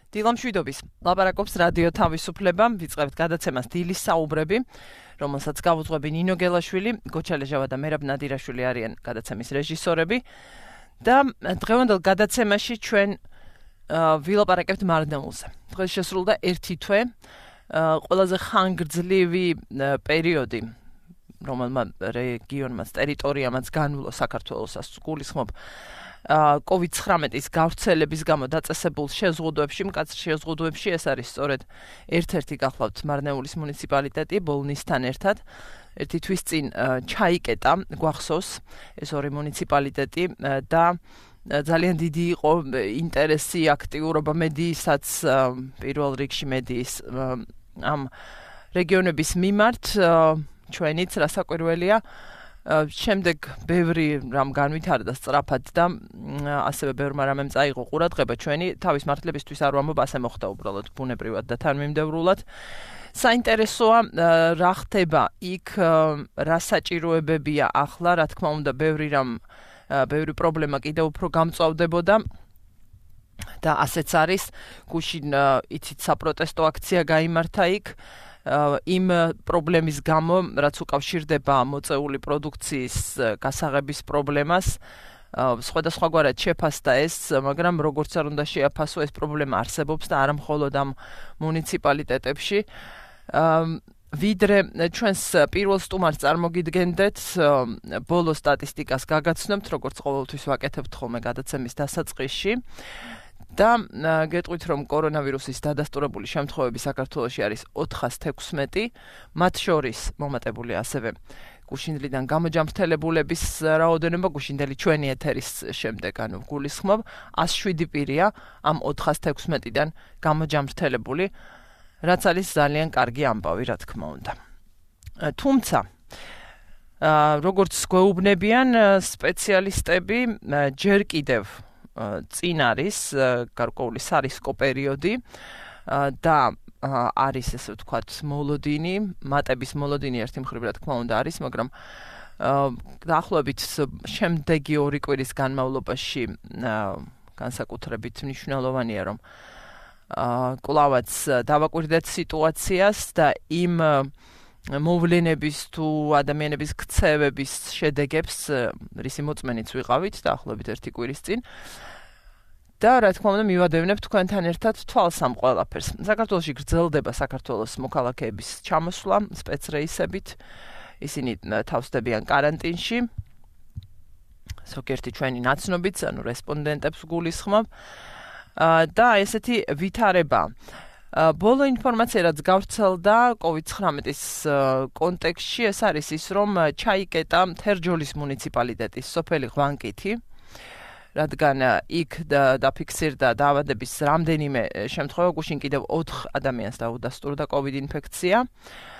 დილამშვიდობის. ლაპარაკობს რადიო თავისუფლება, ვიწყებთ გადაცემას დილის საუბრები, რომელსაც გავუძღვები ნინო გელაშვილი, გოჩალეჟავა და მერაბ ნადირაშვილი არიან გადაცემის რეჟისორები და დღევანდელ გადაცემაში ჩვენ ვილაპარაკებთ მარნეულზე. დღეს შესრულდა 1 თვე, ყველაზე ხანგრძლივი პერიოდი, რომელმა რეგიონმაც, ტერიტორიამაც განვლო საქართველოს გულისხმობ COVID-19-ის გავრცელების გამო დაწესებულ შეზღუდვებში, მკაცრ შეზღუდვებში ეს არის სწორედ ერთ-ერთი გახლავთ მარნეულის მუნიციპალიტეტი ბოლნისთან ერთად. 1 თვის წინ ჩაიკეტა გვახსოვს ეს ორი მუნიციპალიტეტი და ძალიან დიდი იყო ინტერესი, აქტიურობა მედიისაც, პირველ რიგში მედიის ამ რეგიონების მიმართ, ჩვენიც რასაკვირველია. შემდეგ ბევრი რამ განვითარდა სწრაფად და ასევე ბევრმა რამემ წაიღო ყურადღება ჩვენი თავის მართლებისთვის არ ვამბობ, ასე მოხდა უბრალოდ ბუნებრივად და თანმიმდევრულად. საინტერესოა რა ხდება იქ, რა საჭიროებებია ახლა, რა თქმა უნდა ბევრი პრობლემა კიდევ უფრო გამწვავდებოდა და ასეც არის. გუშინ იცით საპროტესტო აქცია გაიმართა იქ იმ პრობლემის გამო, რაც უკავშირდება მოწეული პროდუქციის გასაღების პრობლემას, სხვადასხვაგვარად შეფასდა ეს, მაგრამ როგორც არ უნდა შეაფასო, ეს პრობლემა არსებობს და არა მხოლოდ ამ მუნიციპალიტეტებში. ვიდრე ჩვენს პირველ სტუმარს წარმოგიდგენდეთ, ბოლო სტატისტიკას გაგაცნობთ, როგორც ყოველთვის ვაკეთებთ ხოლმე გადაცემის დასაწყისში. და გეტყვით, რომ კორონავირუსის დადასტურებული შემთხვევები საქართველოში არის 416, მათ შორის მომატებული ასევე გუშინდლიდან გამოჯამრთელებულების რაოდენობა, გუშინდელი ჩვენი ეთერის შემდეგ, ანუ გულისხმობ, 107 პირია ამ 416-დან გამოჯამრთელებული, რაც არის ძალიან კარგი ამბავი, რა თქმა უნდა. თუმცა, როგორც გვეუბნებიან სპეციალისტები, ჯერ კიდევ წინ არის გარკვეული სარისკო პერიოდი და არის ესე ვთქვათ მოლოდინი, მატების მოლოდინი ერთი მხრივ რა თქმა უნდა არის, მაგრამ დაახლოებით შემდეგი 2 კვირის განმავლობაში განსაკუთრებით მნიშვნელოვანია, რომ კვლავაც დავაკვირდეთ სიტუაციას და იმ მოვლენების თუ ადამიანების ქცევების შედეგებს რისი მოწმენიც ვიყავით დაახლოებით 1 კვირის წინ. და რა თქმა უნდა მივადევნებთ თქვენთან ერთად თვალს ამ ყველაფერს. საქართველოში გრძელდება საქართველოს მოქალაქეების ჩამოსვლა სპეცრეისებით. ისინი თავსდებიან კარანტინში. ზოგიერთი ჩვენი ნაცნობიც, ანუ რესპონდენტებს გულისხმობ. და ესეთი ვითარება. ბოლო ინფორმაცია, რაც გავრცელდა COVID-19-ის კონტექსტში, ეს არის ის, რომ ჩაიკეტა თერჯოლის მუნიციპალიტეტის სოფელი ღვანკითი, რადგან იქ დაფიქსირდა დაავადების რამდენიმე შემთხვევა, გუშინ კიდევ 4 ადამიანს დაუდასტურდა COVID ინფექცია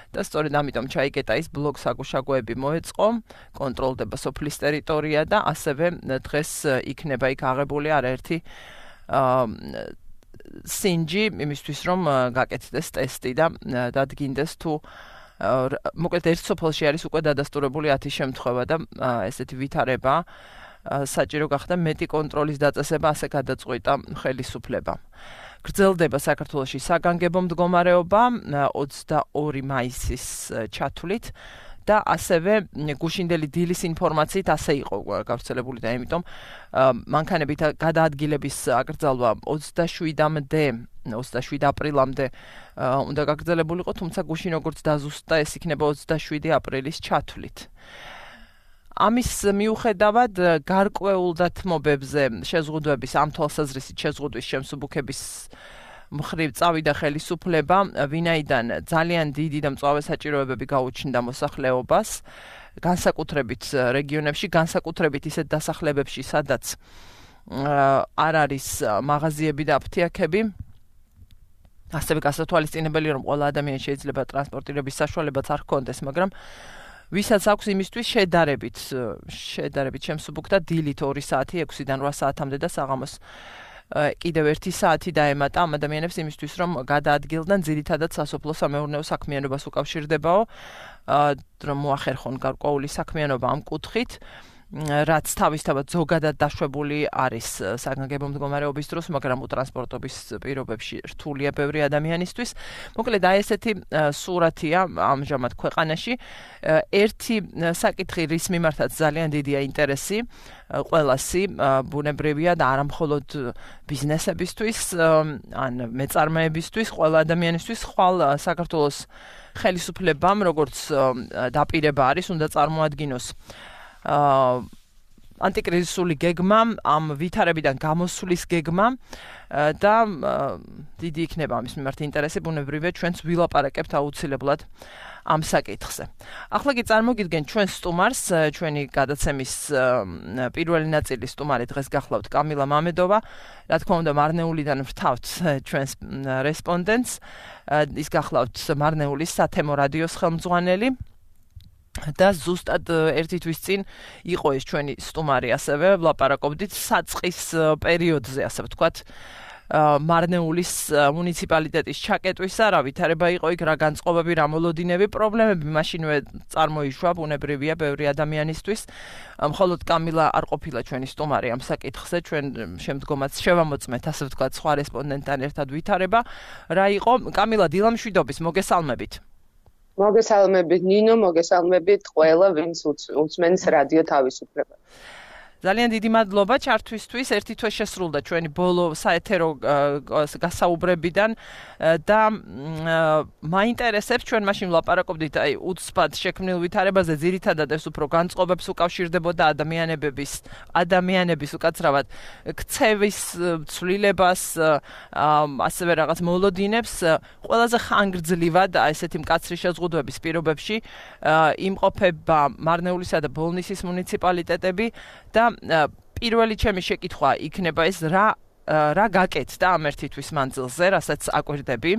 და სწორედ ამიტომ ჩაიკეტა ის ბლოკ-საგუშაგოები მოეწყო, კონტროლდება სოფლის ტერიტორია და ასევე დღეს იქნება იქ აღებული არაერთი სინჯი იმისთვის, რომ გაკეთდეს ტესტი და დადგინდეს თუ მოკლედ ერთ სოფელში არის უკვე დადასტურებული 10 შემთხვევა და ესეთი ვითარება საჭირო გახდა მეტი კონტროლის დაწესება, ასე გადაწყვიტა ხელისუფლებამ. გრძელდება საქართველოში საგანგებო მდგომარეობა 22 მაისის ჩათვლით და ასევე გუშინდელი დილის ინფორმაციით ასე იყო გავრცელებული და იმიტომ მანქანებით გადაადგილების აკრძალვა 27 აპრილამდე უნდა გაგრძელებულიყო, თუმცა გუშინ როგორც დაზუსტდა, ეს იქნება 27 აპრილის ჩათვლით. ამის მიუხედავად გარკვეულ დათმობებზე შეზღუდვების ამ თვალსაზრისით შეზღუდვის შემსუბუქების მხრივ წავიდა ხელისუფლება, ვინაიდან ძალიან დიდი და მწვავე საჭიროებები გაუჩნდა მოსახლეობას, განსაკუთრებით რეგიონებში, განსაკუთრებით ისეთ დასახლებებში, სადაც არ არის მაღაზიები და აფთიაქები. ასევე გასათვალისწინებელია, რომ ყველა ადამიანს შეიძლება ტრანსპორტირების საშუალებაც არ ჰქონდეს, მაგრამ ვისაც აქვს იმისთვის შედარებით შემსუბუქდა დილით 2 საათი 6-დან 8 საათამდე და საღამოს კიდევ 1 საათი დაემატა ამ ადამიანებს იმისთვის, რომ გადაადგილდნენ ძირითადად სასოფლო-სამეურნეო საქმიანობას უკავშირდებაო, რომ მოახერხონ გარკვეული საქმიანობა ამ კუთხით რაც თავისთავად ზოგადად დაშვებული არის საგანგებო მდგომარეობის დროს, მაგრამ უტრანსპორტობის პირობებში რთულია ბევრი ადამიანისთვის. მოკლედ აი ესეთი სურათია ამჟამად ქვეყანაში. ერთი საკითხი, რის მიმართაც ძალიან დიდია ინტერესი ყველასი, ბუნებრივია და არა მხოლოდ ბიზნესებისთვის, ან მეწარმეებისთვის, ყველა ადამიანისთვის, ხვალ საქართველოს ხელისუფლებამ, როგორც დაპირება არის, უნდა წარმოადგინოს ანტიკრიზისული გეგმა, ამ ვითარებიდან გამოსვლის გეგმა და დიდი იქნება ამის მიმართ ინტერესი, ბუნებრივია ჩვენც ვილაპარაკებთ აუცილებლად ამ საკითხზე. ახლა კი წარმოგიდგენ ჩვენს სტუმარს, ჩვენი გადაცემის პირველი ნაწილის სტუმარი დღეს გახლავთ კამილა მამედოვა, რა თქმა უნდა მარნეულიდან ვრთავთ ჩვენს რესპონდენტს, ის გახლავთ მარნეულის სათემო რადიოს ხელმძღვანელი. და ზუსტად ერთი თვის წინ იყო ეს ჩვენი სტუმარი, ასევე ვლაპარაკობდით საწყის პერიოდზე, ასე ვთქვათ, მარნეულის მუნიციპალიტეტის ჩაკეტვისა, რა ვითარება იყო იქ, რა განწყობები, რა მოლოდინები, პრობლემები მაშინვე წარმოიშვა, ბუნებრივია ბევრი ადამიანისთვის. მხოლოდ კამილა არ ყოფილა ჩვენი სტუმარი ამ საკითხზე, ჩვენ შემდგომაც შევამოწმეთ, ასე ვთქვათ, სხვა რესპონდენტთან ერთად ვითარება. რა იყო? კამილა, დილამშვიდობის, მოგესალმებით. მოგესალმებით ნინო, მოგესალმებით ყველა, ვინც უსმენს რადიო თავისუფლება. ძალიან დიდი მადლობა ჩართვისთვის. ერთი თვე შესრულდა ჩვენი ბოლო საეთერო გასაუბრებიდან და მაინტერესებს, ჩვენ მაშინ ვლაპარაკობდით აი უცბად შექმნილ ვითარებაზე, ძირითადად ეს უფრო განწყობებს უკავშირდებოდა ადამიანების უკაცრავად ქცევის ცვლილებას, ასევე რაღაც მოლოდინებს, ყველაზე ხანგრძლივად ესეთი მკაცრი შეზღუდვების პირობებში იმყოფება მარნეულისა და ბოლნისის მუნიციპალიტეტები და პირველი ჩემი შეკითხვა იქნება ეს რა გაკეთდა ამ ერთი თვის მანძილზე, რასაც აკვირდები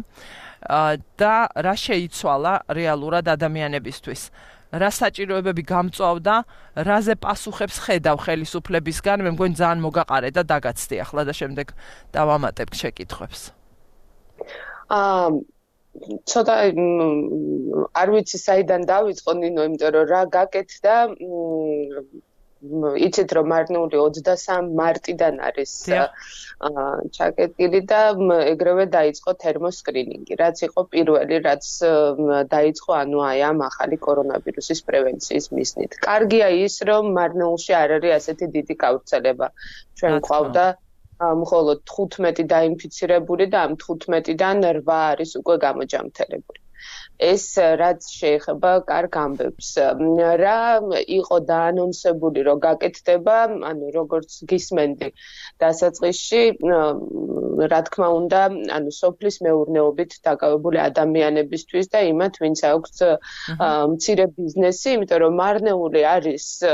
და რა შეიცვალა რეალურად ადამიანებისთვის. რა საჭიროებები გამწვავდა, რაზე პასუხებს ხედავ ხელისუფლებისგან, მე მგონი ძალიან მოგაყარე და დაგაცდი ახლა და შემდეგ დავამატებ შეკითხვებს. ცოტა არ ვიცი საიდან დავიწყო ნინო, იმიტომ რომ რა გაკეთდა, იცით რომ მარნეული 23 მარტიდან არის ჩაკეტილი და ეგრევე დაიწყო თერმოსკრინინგი, რაც იყო პირველი, რაც დაიწყო ანუ აი ამ ახალი კორონავირუსის პრევენციის მიზნით. კარგია ის, რომ მარნეულში არ არის ასეთი დიდი გავრცელება. ჩვენ გვყავდა მხოლოდ 15 დაინფიცირებული და ამ 15-დან 8 არის უკვე გამოჯამთელებული. ეს რაც შეეხება კარგ ამბებს. რა იყო დაანონსებული, რომ გაკეთდება, ანუ როგორც გისმენდი დასაწყისში, რა თქმა უნდა, ანუ სოფლის მეურნეობით დაკავებული ადამიანებისთვის და იმათ, ვინც აქვს მცირე ბიზნესი, იმიტომ რომ მარნეული არის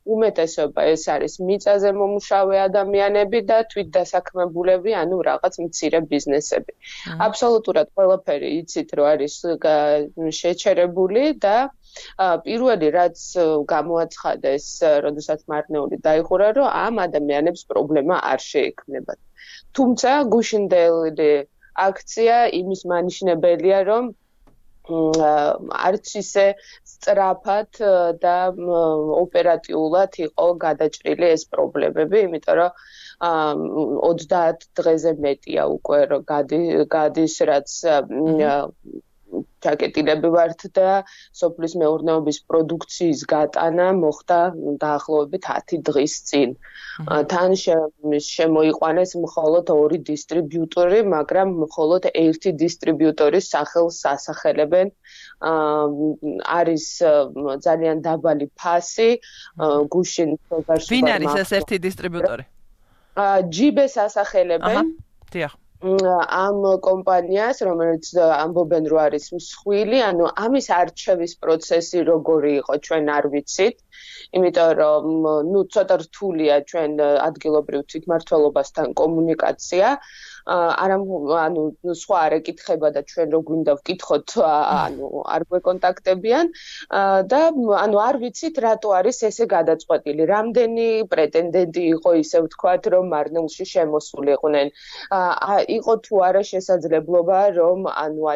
უმეტესობა ეს არის მიწაზე მომუშავე ადამიანები და თვითდასაქმებულები, ანუ რაღაც მცირე ბიზნესები. აბსოლუტურად ყველაფერი იცით, რომ არის შეჩერებული და პირველი რაც გამოაცხადეს, როდესაც მარნეული დაიხურა, რომ ამ ადამიანებს პრობლემა არ შეექმნებათ. თუმცა გუშინდელი აქცია იმის მანიშნებელია, რომ არც ისე სწრაფად და ოპერატიულად იყო გადაჭრილი ეს პრობლემები, იმიტომ რომ 30 დღეზე მეტია უკვე რომ გადის რაც ჩაკეტილები ვართ და სოფლის მეურნეობის პროდუქციის გატანა მოხდა დაახლოებით 10 დღის წინ. თან შემოიყვანეს მხოლოდ 2 დისტრიბიუტორი, მაგრამ მხოლოდ 1 დისტრიბიუტორის სახელს ასახელებენ. არის ძალიან დაბალი ფასი, გუშინ ვინ არის ეს ერთი დისტრიბიუტორი? ჯიბეს ასახელებენ. დიახ. ამ კომპანიას, რომელიც ამბობენ, რომ არის მსხვილი, ანუ ამის არჩევის პროცესი როგორი იყო, ჩვენ არ ვიცით, იმიტომ რომ ცოტა რთულია ჩვენ ადგილობრივ თვითმმართველობასთან კომუნიკაცია. სხვა არ ეკითხება და ჩვენ რო გვინდა ვკითხოთ, არ გვეკონტაქტებიან და არ ვიცით რატო არის ესე გადაწყვეტილი. რამდენი პრეტენდენტი იყო ისე ვთქვათ, რომ მარნეულში შემოსულიყვნენ. იყო თუ არა შესაძლებლობა, რომ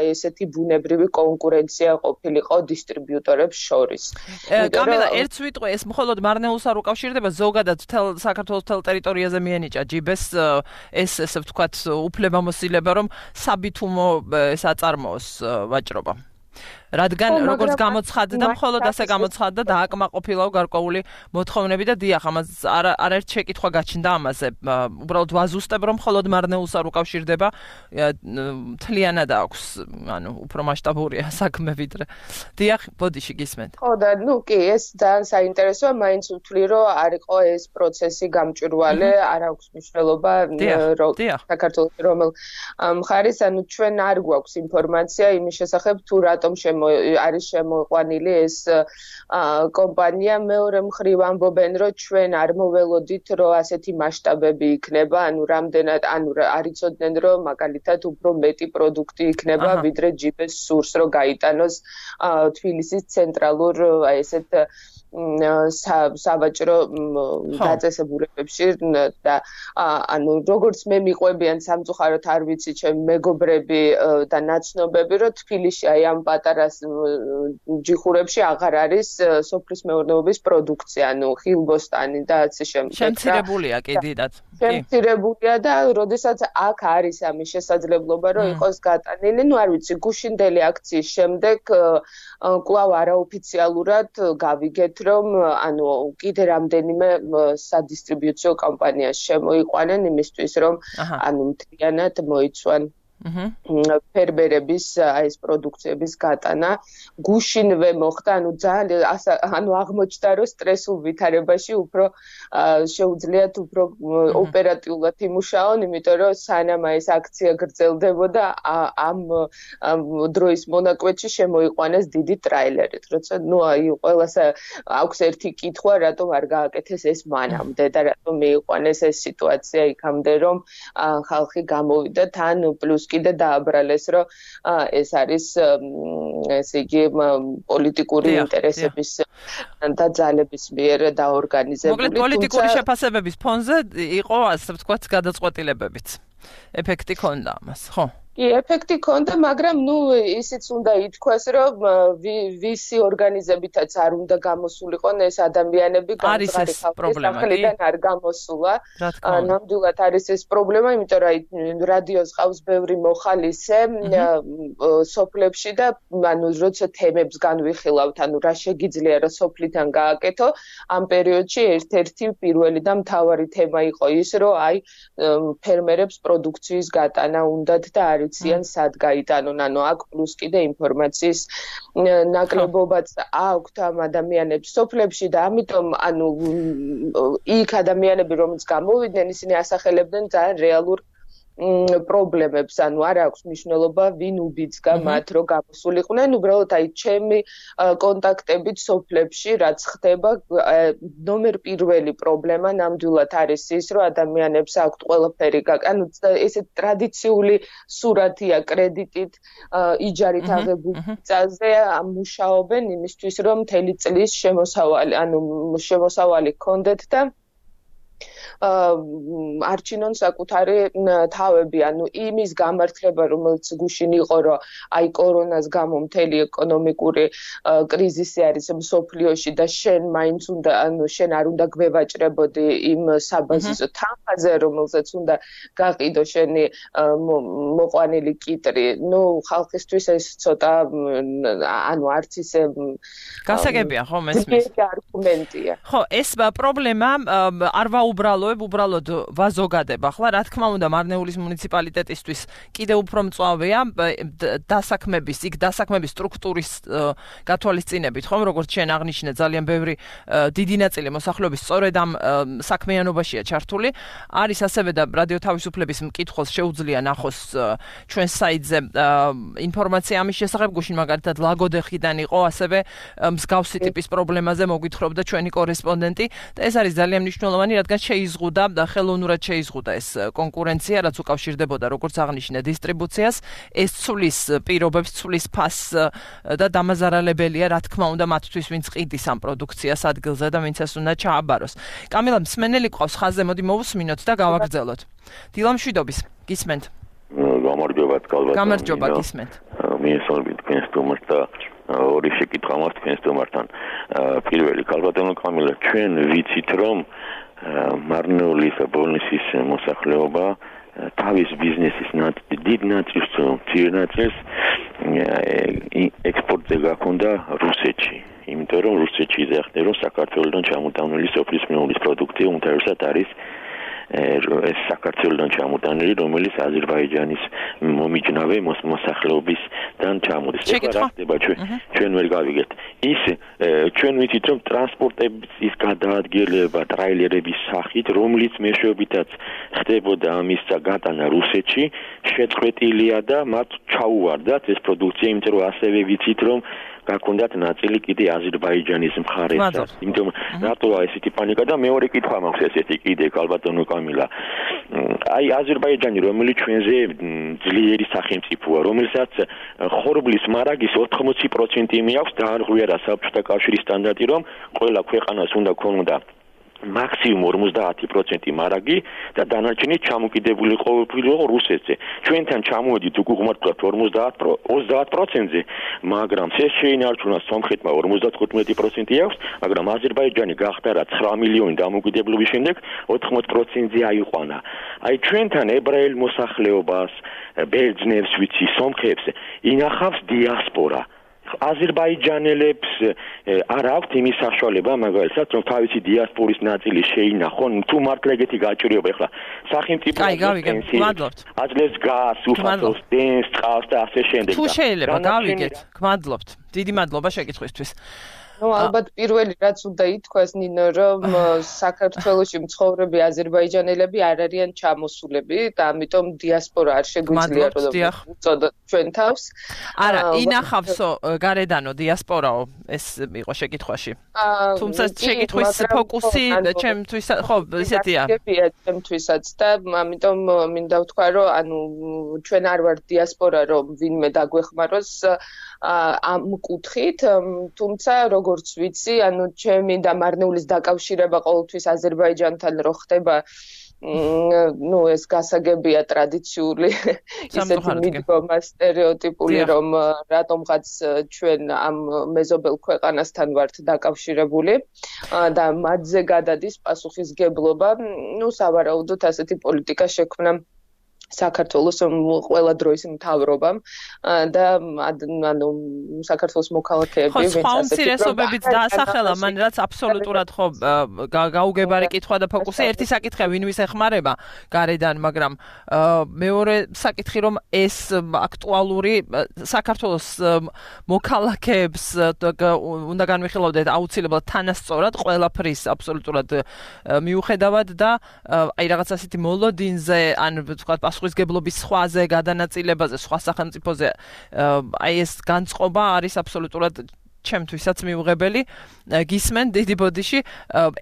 ესეთი ბუნებრივი კონკურენცია ყოფილიყო დისტრიბიუტორებს შორის. კამილა, ერთს ვიტყვი, ეს მხოლოდ მარნეულს არ უკავშირდება, ზოგადად საქართველოს მთელ ტერიტორიაზე მიენიჭა ჯიბეს ეს ესე ვთქვათ უფლებამოსილება, რომ საბითუმო ეს აწარმოოს ვაჭრობა. რადგან როგორც გამოცხადდა, მხოლოდ ასე გამოცხადდა და აკმაყოფილაო გარკვეული მოთხოვნები და დიახ, ამას არაერთ შეკითხვა გაჩნდა ამაზე. უბრალოდ ვაზუსტებ, რომ მხოლოდ მარნეულს არ უკავშირდება, მთლიანად აქვს, უფრო მასშტაბურია საქმე ვიდრე. დიახ, ბოდიში გისმენთ. ხო და კი, ეს ძალიან საინტერესოა, მაინც ვთვლი, რომ არ იყო ეს პროცესი გამჭვირვალე, არ აქვს მნიშვნელობა საქართველოს რომელ მხარის, ჩვენ არ გვაქვს ინფორმაცია იმის შესახებ, თუ რატომ არის შემოყვანილი ეს კომპანია. მეორე მხრივ ამბობენ, რომ ჩვენ არ მოველოდით, რომ ასეთი მასშტაბები იქნება, რამდენად, არ იცოდნენ, რომ მაგალითად უფრო მეტი პროდუქტი იქნება, ვიდრე ჯიბეს სურს, რომ გაიტანოს თბილისის ცენტრალურ ესეთ სავაჭრო დაწესებულებებში და როგორც მე მიყვებიან სამწუხაროდ არ ვიცი ჩემი მეგობრები და ნაცნობები, რომ თბილისში ამ პატარა ჯიხურებში აღარ არის სოფლის მეურნეობის პროდუქცია, ხილბოსტანი და ასე შემდეგ. შემცირებულია კი დიდად. შემცირებულია და როდესაც აქ არის ამის შესაძლებლობა, რომ იყოს გატანილი, არ ვიცი, გუშინდელი აქციის შემდეგ კვლავ არაოფიციალურად გავიგეთ, რომ კიდე რამდენიმე სადისტრიბიუციო კომპანიას შემოიყვანენ იმისთვის, რომ მთლიანად მოიცვან ფერმერების ეს პროდუქციების გატანა. გუშინვე მოხდა, ძალიან აღმოჩნდა, რომ სტრესულ ვითარებაში უფრო შეუძლიათ უფრო ოპერატიულად იმუშაონ, იმიტომ რომ სანამ ეს აქცია გრძელდებოდა, ამ დროის მონაკვეთში შემოიყვანეს დიდი ტრაილერით. როცა ყველას აქვს ერთი კითხვა, რატომ არ გააკეთეს ეს მანამდე და რატომ მიიყვანეს ეს სიტუაცია იქამდე, რომ ხალხი გამოვიდა თან პლუს კიდე დააბრალეს, რომ ეს არის ესე იგი პოლიტიკური ინტერესების და ძალების მიერ დაორგანიზებული. მოკლედ პოლიტიკური შეფასებების ფონზე იყო, ასე ვთქვათ, გადაწყვეტილებებიც. ეფექტი ქონდა ამას, ხო? კი, ეფექტი ქონდა, მაგრამ ისიც უნდა ითქვას, რომ ვისი ორგანიზებითაც არ უნდა გამოსულიყონ ეს ადამიანები, გამწყარი ხალხის სახელიდან არ გამოსულა. ნამდვილად არის ეს პრობლემა, იმიტომ რომ რადიოს ყავს ბევრი მოხალისე სოფლებში და როცა თემებს განვიხილავთ, რა შეგიძლია რომ სოფლიდან გააკეთო, ამ პერიოდში ერთ-ერთი პირველი და მთავარი თემა იყო ის, რომ ფერმერებს პროდუქციის გატანა უნდათ და არ იციან სად გაიტანონ, აქ პლუს კიდე ინფორმაციის ნაკლებობაც აქვთ ამ ადამიანებს სოფლებში და ამიტომ იქ ადამიანები რომც გამოვიდნენ, ისინი ასახელებდნენ ძალიან რეალურ პრობლემებს, არ აქვს მნიშვნელობა ვინ უბიძგა მათ, რომ გამოსულიყვნენ, უბრალოდ ჩემი კონტაქტებით სოფლებში რაც ხდება, ნომერ პირველი პრობლემა ნამდვილად არის ის, რომ ადამიანებს აქვთ ყველაფერი, ესე ტრადიციული სურათია კრედიტით, იჯარით აღებული მიწაზე მუშაობენ იმისთვის, რომ მთელი წლის შემოსავალი ჰქონდეთ და არჩინონ საკუთარი თავები, იმის გამართლება, რომელიც გუშინ იყო, რომ კორონას გამო მთელი ეკონომიკური კრიზისი არის მსოფლიოში და შენ მაინც უნდა, შენ არ უნდა გვევაჭრებოდი იმ საბაზისო თანხაზე, რომელზეც უნდა გაყიდო შენი მოყვანილი კიტრი. ხალხისთვის ეს ცოტა, არც ისე გასაგებია, ხო, მესმის. არგუმენტია. ხო, ეს პრობლემა არ ვაუბრალო უბრალოდ ვაზოგადებ ახლა, რა თქმა უნდა, მარნეულის მუნიციპალიტეტისთვის კიდევ უფრო მწვავეა დასაქმების სტრუქტურის გათვალისწინებით, ხომ, როგორც შენ აღნიშნე, ძალიან ბევრი დიდი ნაწილი მოსახლეობის სწორედ ამ საქმიანობაშია ჩართული. არის ასევე და რადიო თავისუფლების მკითხველს შეუძლია ნახოს ჩვენს საიტზე ინფორმაცია ამის შესახებ, გუშინ მაგალითად ლაგოდეხიდან იყო ასევე მსგავსი ტიპის პრობლემაზე მოგვითხრობდა ჩვენი კორესპონდენტი და ეს არის ძალიან მნიშვნელოვანი, რადგან შეიზღუდა და ხელოვნურად შეიზღუდა ეს კონკურენცია, რაც უკავშირდებოდა როგორც აღნიშნე დისტრიბუციას, ეს ცვლის პირობებს, ცვლის ფასს და დამაზარალებელია, რა თქმა უნდა, მათთვის, ვინც ყიდის ამ პროდუქციას ადგილზე და ვინც ეს უნდა ჩააბაროს. კამილა, მსმენელი ყავს ხაზზე, მოდი მოვუსმინოთ და გავაგრძელოთ. დილამშვიდობის, გისმენთ. გამარჯობა, გამარჯობა, გისმენთ. მიესალმებით თქვენს სტუმარს და ორი შეკითხვა მაქვს თქვენს სტუმართან. პირველი, ქალბატონო კამილა, ჩვენ ვიცით, რომ მარნეულის და ბოლნისის მოსახლეობა თავის ბიზნესის დიდ ნაწილს, მცირე ნაწილს ექსპორტზე გაქონდა რუსეთში. იმიტომ რომ რუსეთში იზრახდნენ, რომ საქართველოსთან ჩამოტანილი სოფლის მეუღლის პროდუქტი უმთავრესად არის ეს საქართველოსთან ჩამოტანილი, რომელიც აზერბაიჯანის მომიჯნავე მოსახლეობისგან ჩამოდის. ეხლა რა ხდება ჩვენ ვერ გავიგეთ. ის ჩვენ ვიცით, რომ ტრანსპორტების გადაადგილება ტრაილერების სახით, რომლის მეშვეობითაც ხდებოდა ამის გატანა რუსეთში, შეწყვეტილია და მათ ჩაუვარდათ ეს პროდუქცია, იმიტომ რომ ასევე ვიცით, რომ გაქონდათ ნაწილი კიდე აზერბაიჯანის მხარეს. იმიტომ რატოა ესეთი პანიკა და მეორე კითხვა მაქვს ესეთი კიდე ქალბატონო კამილა. აი აზერბაიჯანი, რომელიც ჩვენზე ძლიერი სახელმწიფოა, რომელსაც ხორბლის მარაგის 80% მიაქვს დაარღვიარა საბჭოთა კავშირის სტანდარტი, რომ ყველა ქვეყანას უნდა ქონოდა მაქსიმუმ 50% მარაგი და დანარჩენი ჩამოკიდებული ყოფილიყო რუსეთზე. ჩვენთან ჩამოვედით უკუღმართულად 30%-ზე, მაგრამ ეს შეინარჩუნა სომხეთმა 55% აქვს, მაგრამ აზერბაიჯანი გახდა რა 9 მილიონი დამოუკიდებლობის შემდეგ 80%-ზე აიყვანა. აი ჩვენთან ებრაელ მოსახლეობას, ბერძნებს, ვიცი, სომხებს ინახავს დიასპორა. აზერბაიჯანელებს არ აქვთ იმის საშუალება, მაგალითად, რომ თავისი დიასპორის ნაწილი შეინახონ, თუ მართლა ეგეთი გაჭირვება ახლა სახელმწიფო აძლევს გაზს, უფასოს, დენს, წყალს და ასე შემდეგ. თუ შეიძლება გავიგეთ, გმადლობთ. დიდი მადლობა შეკითხვისთვის. ალბათ პირველი რაც უნდა ითქვას ნინო, რომ საქართველოში მცხოვრები აზერბაიჯანელები არ არიან ჩამოსულები და ამიტომ დიასპორა არ შეგვიძლია რომ უწოდოთ ჩვენ თავს. არა, ინახავსო გარედანო დიასპორაო, ეს იყო შეკითხვაში. თუმცა შეკითხვის ფოკუსი ჩემთვის ხო ისეთია. ჩემთვისაც და ამიტომ მინდა ვთქვა, რომ ანუ ჩვენ არ ვართ დიასპორა, რომ ვინმე დაგვეხმაროს ამ კუთხით, თუმცა როგორც ვიცი, ანუ ჩემი და მარნეულის დაკავშირება ყოველთვის აზერბაიჯანთან რო ხდება, ეს გასაგებია ტრადიციული, ისეთი მიდგომა სტერეოტიპული, რომ რატომღაც ჩვენ ამ მეზობელ ქვეყანასთან ვართ დაკავშირებული და მათზე გადადის პასუხისგებლობა, სავარაუდოდ ასეთი პოლიტიკა შექმნა საქართველოს ყველა დროის მთავრობამ და ანუ საქართველოს მოქალაქეები ვინც ასე უმცირესობებიც დაასახელა, მან რაც აბსოლუტურად ხო გაუგებარი კითხვა და ფოკუსი. ერთი საკითხია ვინ ვის ეხმარება გარედან, მაგრამ მეორე საკითხი რომ ეს აქტუალური საქართველოს მოქალაქეებს უნდა განვიხილავდეთ აუცილებლად თანასწორად ყველაფრის აბსოლუტურად მიუხედავად და აი რაღაც ასეთი მოლოდინზე ან ვთქვათ პასუხისგებლობის სხვაზე გადანაწილებაზე, სხვა სახელმწიფოზე აი ეს განწყობა არის აბსოლუტურად ჩემთვისაც მიუღებელი. გისმენ დიდი ბოდიში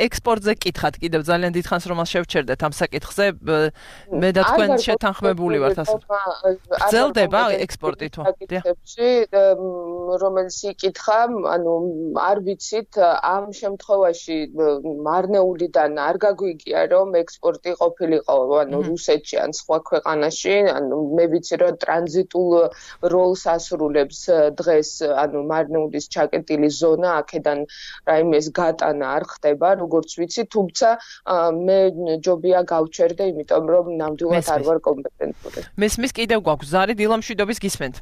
ექსპორტზე კითხათ კიდევ ძალიან დიდხანს რომ შევჩერდეთ ამ საკითხზე. მე და თქვენ შეთანხმებული ვართ ასე. გრძელდება ექსპორტი თუ? რომელიც იკითხა, ანუ არ ვიცით ამ შემთხვევაში მარნეულიდან არ გაგვიგია რომ ექსპორტი ყოფილიყო ანუ რუსეთში ან სხვა ქვეყანაში, ანუ მე ვიცი რომ ტრანზიტულ როლს ასრულებს დღეს ანუ მარნეულის ჩაკეტილი ზონა, აქედან რაიმეს გატანა არ ხდება, როგორც ვიცი, თუმცა მე ჯობია გავჩერდე, იმიტომ რომ ნამდვილად არ ვარ კომპეტენტური. მესმის კიდევ გვაქვს ზარი დილამშვიდობის გისმენთ.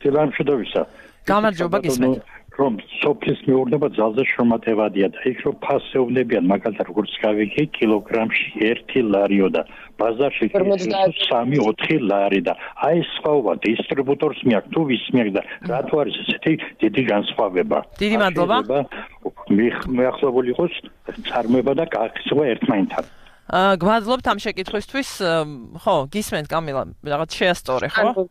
დილამშვიდობისა. გამარჯობა გისმენთ. რომ სოფლის მეურნეობა ძალზე შრომატევადია და იქ რომ ფასევნებიან, მაგალითად როგორც გავიგე, კილოგრამში 1 ლარიო და ბაზარში 3-4 ლარი და აი სხვაობა დისტრიბუტორს მიაქვს თუ ვის მიაქვს და რატო არის ესეთი დიდი განსხვავება? დიდი მადლობა. მიახლებული იყოს წარმოება და კახისღა ერთმანეთთან. გვადლობთ ამ შეკითხვისთვის, ხო, გისმენთ კამილა, რაღაც შეასწორე, ხო?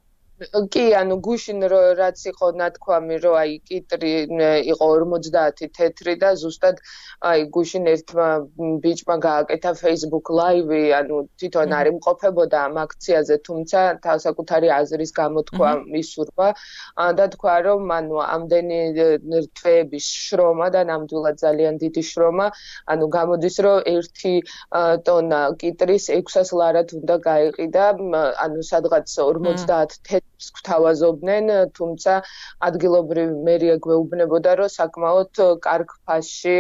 კი, გუშინ რაც იყო ნათქვამი, რომ აი კიტრი იყო 50 თეთრი და ზუსტად აი გუშინ ერთმა ბიჭმა გააკეთა Facebook Live-ი, თვითონ არ იმყოფებოდა ამ აქციაზე, თუმცა თავსაკუთარი აზრის გამოთქვა მისურვა და თქვა, რომ ამდენი თვეების შრომა და ნამდვილად ძალიან დიდი შრომა, გამოდის, რომ 1 ტონა კიტრის 600 ლარად უნდა გაიყიდა, სადღაც 50 თეთრ გვთავაზობდნენ, თუმცა ადგილობრივი მერია გვეუბნებოდა, რომ საკმაოდ კარგ ფასში,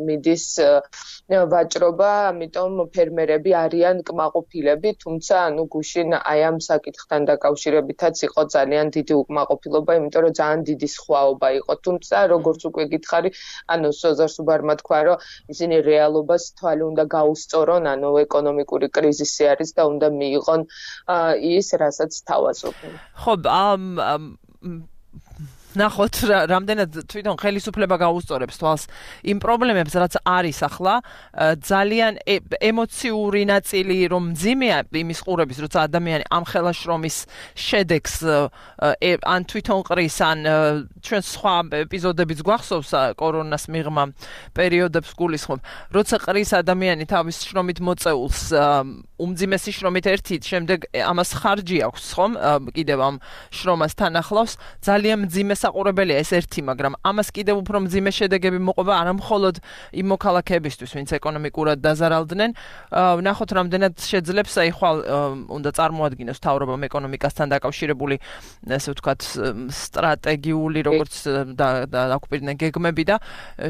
მიდის ვაჭრობა, ამიტომ ფერმერები არიან კმაყოფილები, თუმცა გუშინ აი ამ საკითხთან დაკავშირებითაც იყო ძალიან დიდი უკმაყოფილება, იმიტომ რომ ძალიან დიდი სხვაობა იყო, თუმცა როგორც უკვე გითხარი, სოზარ სუბარმა თქვა, რომ ისინი რეალობას თვალი უნდა გაუსწორონ, ეკონომიკური კრიზისი არის და უნდა მიიღონ ის, რასაც თავაზობენ. ხო, ნახოთ რამდენად თვითონ ხელისუფლება გაუსწორებს თვალს იმ პრობლემებს, რაც არის ახლა, ძალიან ემოციური ნაწილი რომ მძიმეა იმის ყურების, როცა ადამიანი ამ ხელა შრომის შედეგს ან თვითონ ყრის, ან ჩვენ სხვა ეპიზოდებიც გვახსოვს კორონას მიღმა პერიოდებს გულისხმობ, როცა ყრის ადამიანი თავის შრომით მოწეულს უმძიმესი შრომით ერთი, შემდეგ ამას ხარჯი აქვს, ხომ? კიდევ ამ შრომას თან ახლავს, ძალიან მძიმე საყურებელია ეს ერთი, მაგრამ ამას კიდევ უფრო მძიმე შედეგები მოყვება არა მხოლოდ იმ მოქალაქეებისთვის, ვინც ეკონომიკურად დაზარალდნენ. ნახოთ რამდენად შეძლებს აი ხვალ უნდა წარმოადგინოს მთავრობამ ეკონომიკასთან დაკავშირებული, ესე ვთქვათ, სტრატეგიული როგორც დააკვირდნენ გეგმები და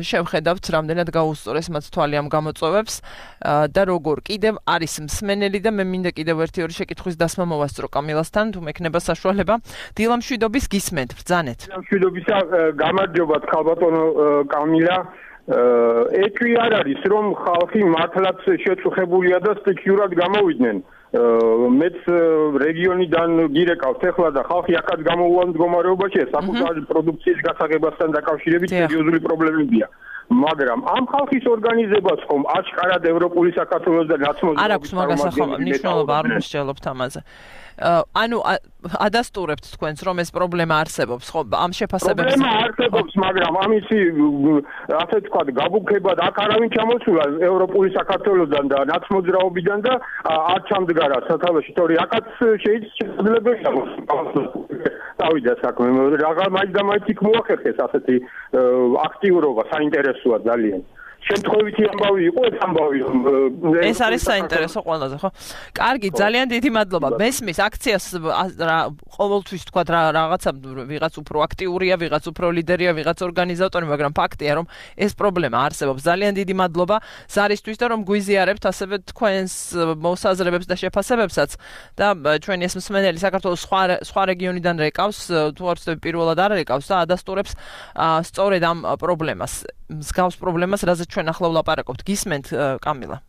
შევხედავთ რამდენად გაუსწორეს მათ თვალი ამ გამოწვევებს და როგორ კიდევ არის მსმენელი და მე მინდა კიდევ ერთი შეკითხვის დასმა მოვასწრო კამილასთან, თუ მექნება საშუალება. დილა მშვიდობის გისმენთ, ბრძანეთ. მშვიდობისა, გამარჯობათ ხალბატონო კამილა. ეტყვი არ არის, რომ ხალხი მართლაც შეწუხებულია და სტიქიურად გამოვიდნენ. მეც რეგიონიდან გირეკავთ ეხლა და ხალხი აქაც გამოუვალ მდგომარეობაშია, საკუთარი პროდუქციის გასაღებასთან დაკავშირებით სერიოზული პრობლემებია. მაგრამ ამ ხალხის ორგანიზებას ხომ აშკარად ევროპული საქართველოს და ნაცნობი არ აქვს მაგას ახლა მნიშვნელობა არ მოსჯელობთ ამაზე. ადასტურებთ თქვენს რომ ეს პრობლემა არსებობს, ხო? ამ შეფასებებს პრობლემა არსებობს, მაგრამ ამისი ასე ვთქვათ, გაბუქება და აქ არავინ ჩამოსულა ევროპული საქართველოსთან და ნაცმოძრაობიდან და არ ჩამდგარა სათავეში, თორე აქაც შეიძლებაია დავიდა საქმე. რაღა მაინც და მაინც იქ მოახერხეს ასეთი აქტიურობა, საინტერესოა ძალიან. შემთხვევითი ამბავი იყო ეს ამბავი. ეს არის საინტერესო ყველაზე, ხო? კარგი, ძალიან დიდი მადლობა. მესმის აქციას ყოველთვის თქვა რაღაცა ვიღაც უფრო აქტიურია, ვიღაც უფრო ლიდერია, ვიღაც ორგანიზატორი, მაგრამ ფაქტია რომ ეს პრობლემა არსებობს. ძალიან დიდი მადლობა ზარისთვის და რომ გვიზიარებთ ასევე თქვენს მოსაზრებებს და შეფასებებსაც და ჩვენი ეს მსმენელი საქართველოს სხვა რეგიონიდან რეკავს, თუ არ ვცდები პირველად არ რეკავს და ადასტურებს სწორედ ამ პრობლემას. მსგავს პრობლემას, რაზეც ჩვენ ახლა ვლაპარაკობთ. გისმენთ კამილა?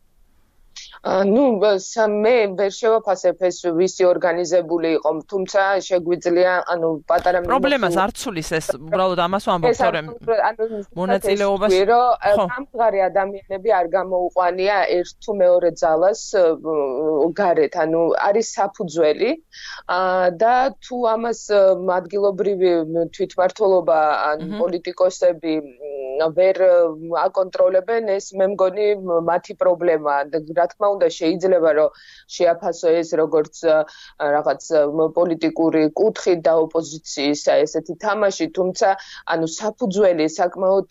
მე ვერ შევაფასებ ეს ვისი ორგანიზებული იყო, თუმცა შეგვიძლია, პატარა პრობლემას არ ცulis ეს, უბრალოდ ამას ვამბობ, თორემ მონაწილეობას სამღარი ადამიანები არ გამოუყვანია ერთ თუ მეორე ძალას გარეთ, არის საფუძველი და თუ ამას ადგილობრივი თვითმმართველობა ან პოლიტიკოსები ვერ აკონტროლებენ, ეს მე მგონი მათი პრობლემაა. რა თქმა უნდა, შეიძლება რომ შეაფასო ეს როგორც რაღაც პოლიტიკური კუთხით და ოპოზიციის ესეთი თამაში, თუმცა საფუძველი საკმაოდ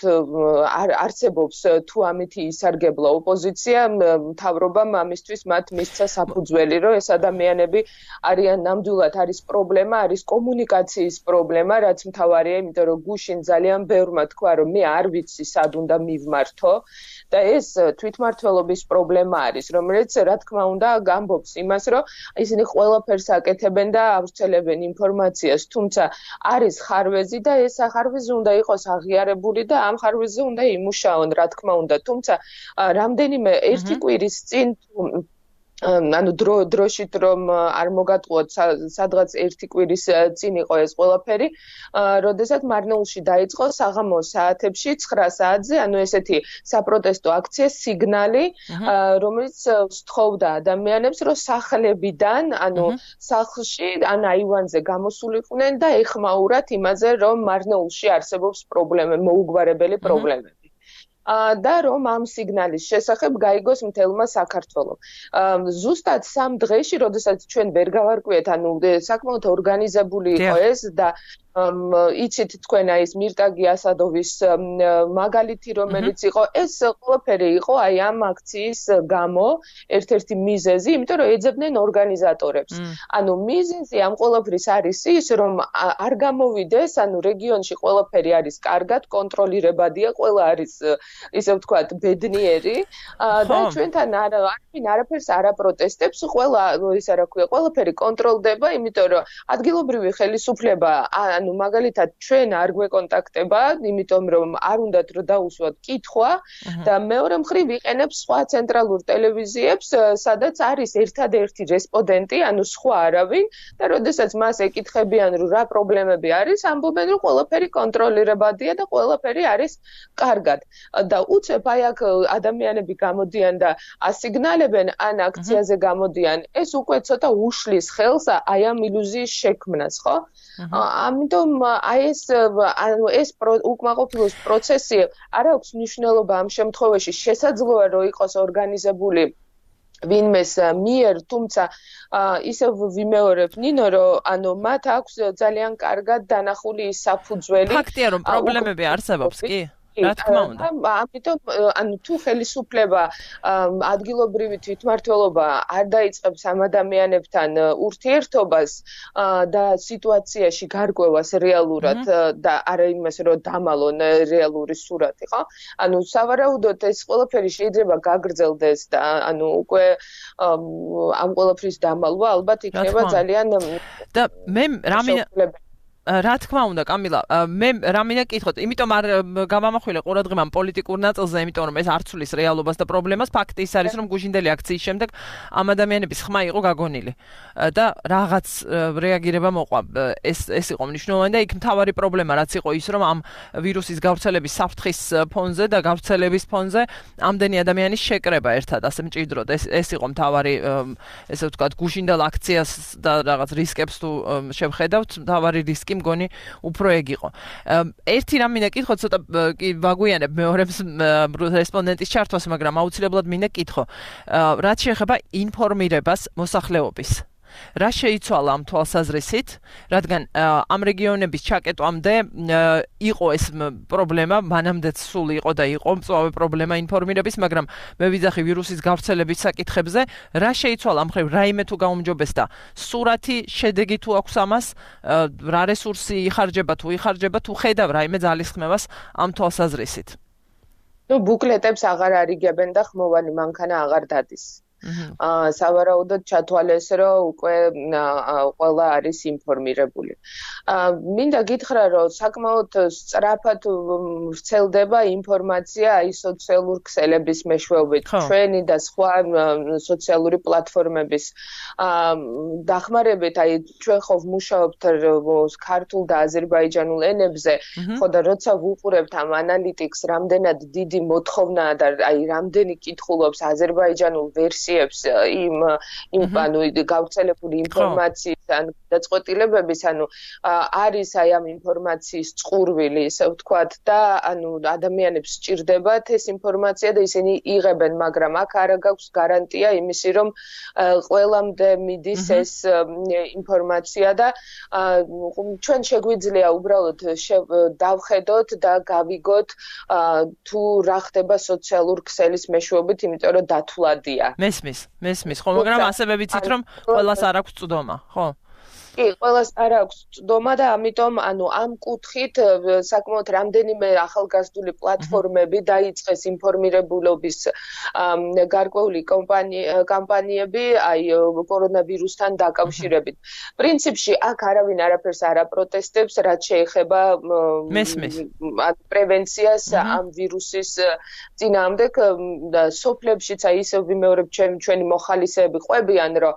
არსებობს, თუ ამით ისარგებლა ოპოზიცია, მთავრობამ ამისთვის მათ მისცა საფუძველი, რომ ეს ადამიანები არიან ნამდვილად არის პრობლემა, არის კომუნიკაციის პრობლემა, რაც მთავარია, იმიტომ რომ გუშინ ძალიან ბევრმა თქვა, რომ მე არ ვიცი სად უნდა მივმართო და ეს თვითმმართველობის პრობლემა არის, რომელიც რა თქმა უნდა გამბობს იმას, რომ ისინი ყველაფერს აკეთებენ და ავრცელებენ ინფორმაციას, თუმცა არის ხარვეზი და ეს ხარვეზი უნდა იყოს აღიარებული და ამ ხარვეზზე უნდა იმუშაონ, რა თქმა უნდა, თუმცა რამდენიმე ერთი კვირის წინ ანუ დროშით რომ არ მოგატყუოთ სადღაც ერთი კვირის წინ იყო ეს ყველაფერი, როდესაც მარნეულში დაიწყო საღამოს საათებში 9 საათზე, ანუ ესეთი საპროტესტო აქცია სიგნალი, რომელიც სთხოვდა ადამიანებს, რომ სახლებიდან, ანუ სახლში ან აივანზე გამოსულიყვნენ და ეხმაურათ იმაზე, რომ მარნეულში არსებობს მოუგვარებელი პრობლემები. და რომ ამ სიგნალის შესახებ გაიგოს მთელმა საქართველომ. ზუსტად 3 დღეში, როდესაც ჩვენ ვერ გავარკვიეთ, ანუ საკმაოდ ორგანიზებული იყო ეს და იცით თქვენ აი ეს მირტაგი ასადოვის მაგალითი რომელიც იყო, ეს ყველაფერი იყო აი ამ აქციის გამო ერთ-ერთი მიზეზი, იმიტომ რომ ეძებდნენ ორგანიზატორებს. ანუ მიზეზი ამ ყველაფრის არის ის, რომ არ გამოვიდეს, ანუ რეგიონში ყველაფერი არის კარგად, კონტროლირებადია, ყველა არის ისე ვთქვათ, ბედნიერი და ჩვენთან არაფერს არ აპროტესტებს, ყველა ისა რა ქვია, ყველაფერი კონტროლდება, იმიტომ რომ ადგილობრივი ხელისუფლება ანუ მაგალითად ჩვენ არ გვეკონტაქტება, იმიტომ რომ არ უნდათ რომ დაუსვათ კითხვა და მეორე მხრივ ვიყენებს სხვა ცენტრალურ ტელევიზიებს, სადაც არის ერთადერთი რესპონდენტი, ანუ სხვა არავინ და როდესაც მას ეკითხებიან რომ რა პრობლემები არის, ამბობენ რომ ყველაფერი კონტროლირებადია და ყველაფერი არის კარგად. და უცებ აი აქ ადამიანები გამოდიან და ასიგნალებენ ან აქციაზე გამოდიან, ეს უკვე ცოტა უშლის ხელს აი ამ ილუზიის შექმნას, ხო? ამიტომ აი ეს უკმაყოფილოს პროცესი არ აქვს მნიშვნელობა ამ შემთხვევაში, შესაძლოა რომ იყოს ორგანიზებული ვინმეს მიერ, თუმცა ისევ ვიმეორებ ნინო, რომ ანუ მათ აქვს ძალიან კარგად დანახული საფუძველი. ფაქტია რომ პრობლემები არსებობს, კი? რა თქმა უნდა. ამიტომ ანუ თუ ხელისუფლება ადგილობრივი თვითმმართველობა არ დაიწყებს ამ ადამიანებთან ურთიერთობას და სიტუაციაში გარკვევას რეალურად და არა იმას რომ დამალონ რეალური სურათი, ხო? ანუ სავარაუდოდ ეს ყველაფერი შეიძლება გაგრძელდეს და ანუ უკვე ამ ყველაფრის დამალვა ალბათ იქნება ძალიან და მე რა თქმა უნდა, კამილა, მე რამინდა კითხოთ, იმიტომ არ გამამახვილე ყურადღებამ პოლიტიკურ ნაწილზე, იმიტომ რომ ეს არ ცვლის რეალობას და პრობლემას, ფაქტი ის არის, რომ გუჟინდელი აქციის შემდეგ ამ ადამიანების ხმა იყო გაგონილი და რაღაც რეაგირება მოყვა. ეს იყო მნიშვნელოვანი და იქ მთავარი პრობლემა რაც იყო ის, რომ ამ ვირუსის გავრცელების საფრთხის ფონზე და გავრცელების ფონზე ამდენი ადამიანის შეკრება ერთად ასე მჭიდროდ. ეს იყო მთავარი, ესე ვთქვათ, გუჟინდელ აქციას და რაღაც რისკებს თუ შევხედავთ, მთავარი რისკი მგონი უფრო ეგ იყო. ერთი რამ მინდა კითხო, ცოტა ვაგვიანებ მეორებს რესპონდენტის ჩართვას, მაგრამ აუცილებლად მინდა კითხო. რაც შეეხება ინფორმირებას მოსახლეობის. რა შეიცვალა ამ თვალსაზრისით, რადგან ამ რეგიონების ჩაკეტვამდე იყო ეს პრობლემა, მანამდეც სულ იყო და იყო მწვავე პრობლემა ინფორმირების, მაგრამ მე ვიძახი ვირუსის გავრცელების საკითხებზე, რა შეიცვალა ამ ხრივ, რაიმე თუ გაუმჯობესდა, სურათი, შედეგი თუ აქვს ამას, რა რესურსი იხარჯება თუ ხედავ რაიმე ძალისხმევას ამ თვალსაზრისით. ნუ ბუკლეტებს აღარ არიგებენ და ხმოვანი მანქანა აღარ დადის. სავარაუდოდ ჩათვალეს, რომ უკვე ყველა არის ინფორმირებული. მინდა გითხრა, რომ საკმაოდ სწრაფად ვრცელდება ინფორმაცია აი სოციალურ ქსელების მეშვეობით, ჩვენი და სხვა სოციალური პლატფორმების დახმარებით, აი ჩვენ ხო ვმუშაობთ ქართულ და აზერბაიჯანულ ენებზე, ხო და როცა ვუყურებთ ამ ანალიტიკს, რამდენად დიდი მოთხოვნაა და აი რამდენი კითხულობს აზერბაიჯანულ ვერსიას ანუ გავრცელებული ინფორმაციის ან დაწყვეტილებების, ანუ არის აი ამ ინფორმაციის წყურვილი, ისე ვთქვათ, და ანუ ადამიანებს სჭირდებათ ეს ინფორმაცია და ისინი იღებენ, მაგრამ აქ არ გაქვს გარანტია იმისი, რომ ყველამდე მიდის ეს ინფორმაცია და ჩვენ შეგვიძლია უბრალოდ დავხედოთ და გავიგოთ თუ რა ხდება სოციალურ ქსელის მეშვეობით, იმიტომ რომ დათვლადია. მესმის, ხო, მაგრამ ასევე ვიცით, რომ ყველას არ აქვს წვდომა, ხო? კი, ყველას არ აქვს წვდომა და ამიტომ ამ კუთხით საკმაოდ რამდენიმე ახალგაზრდული პლატფორმები დაიწყეს ინფორმირებულობის გარკვეული კამპანიები აი კორონავირუსთან დაკავშირებით. პრინციპში აქ არავინ არაფერს არ აპროტესტებს, რაც შეეხება პრევენციას ამ ვირუსის წინააღმდეგ და სოფლებშიც აი ისევ ვიმეორებ ჩვენი მოხალისეები ყვებიან, რომ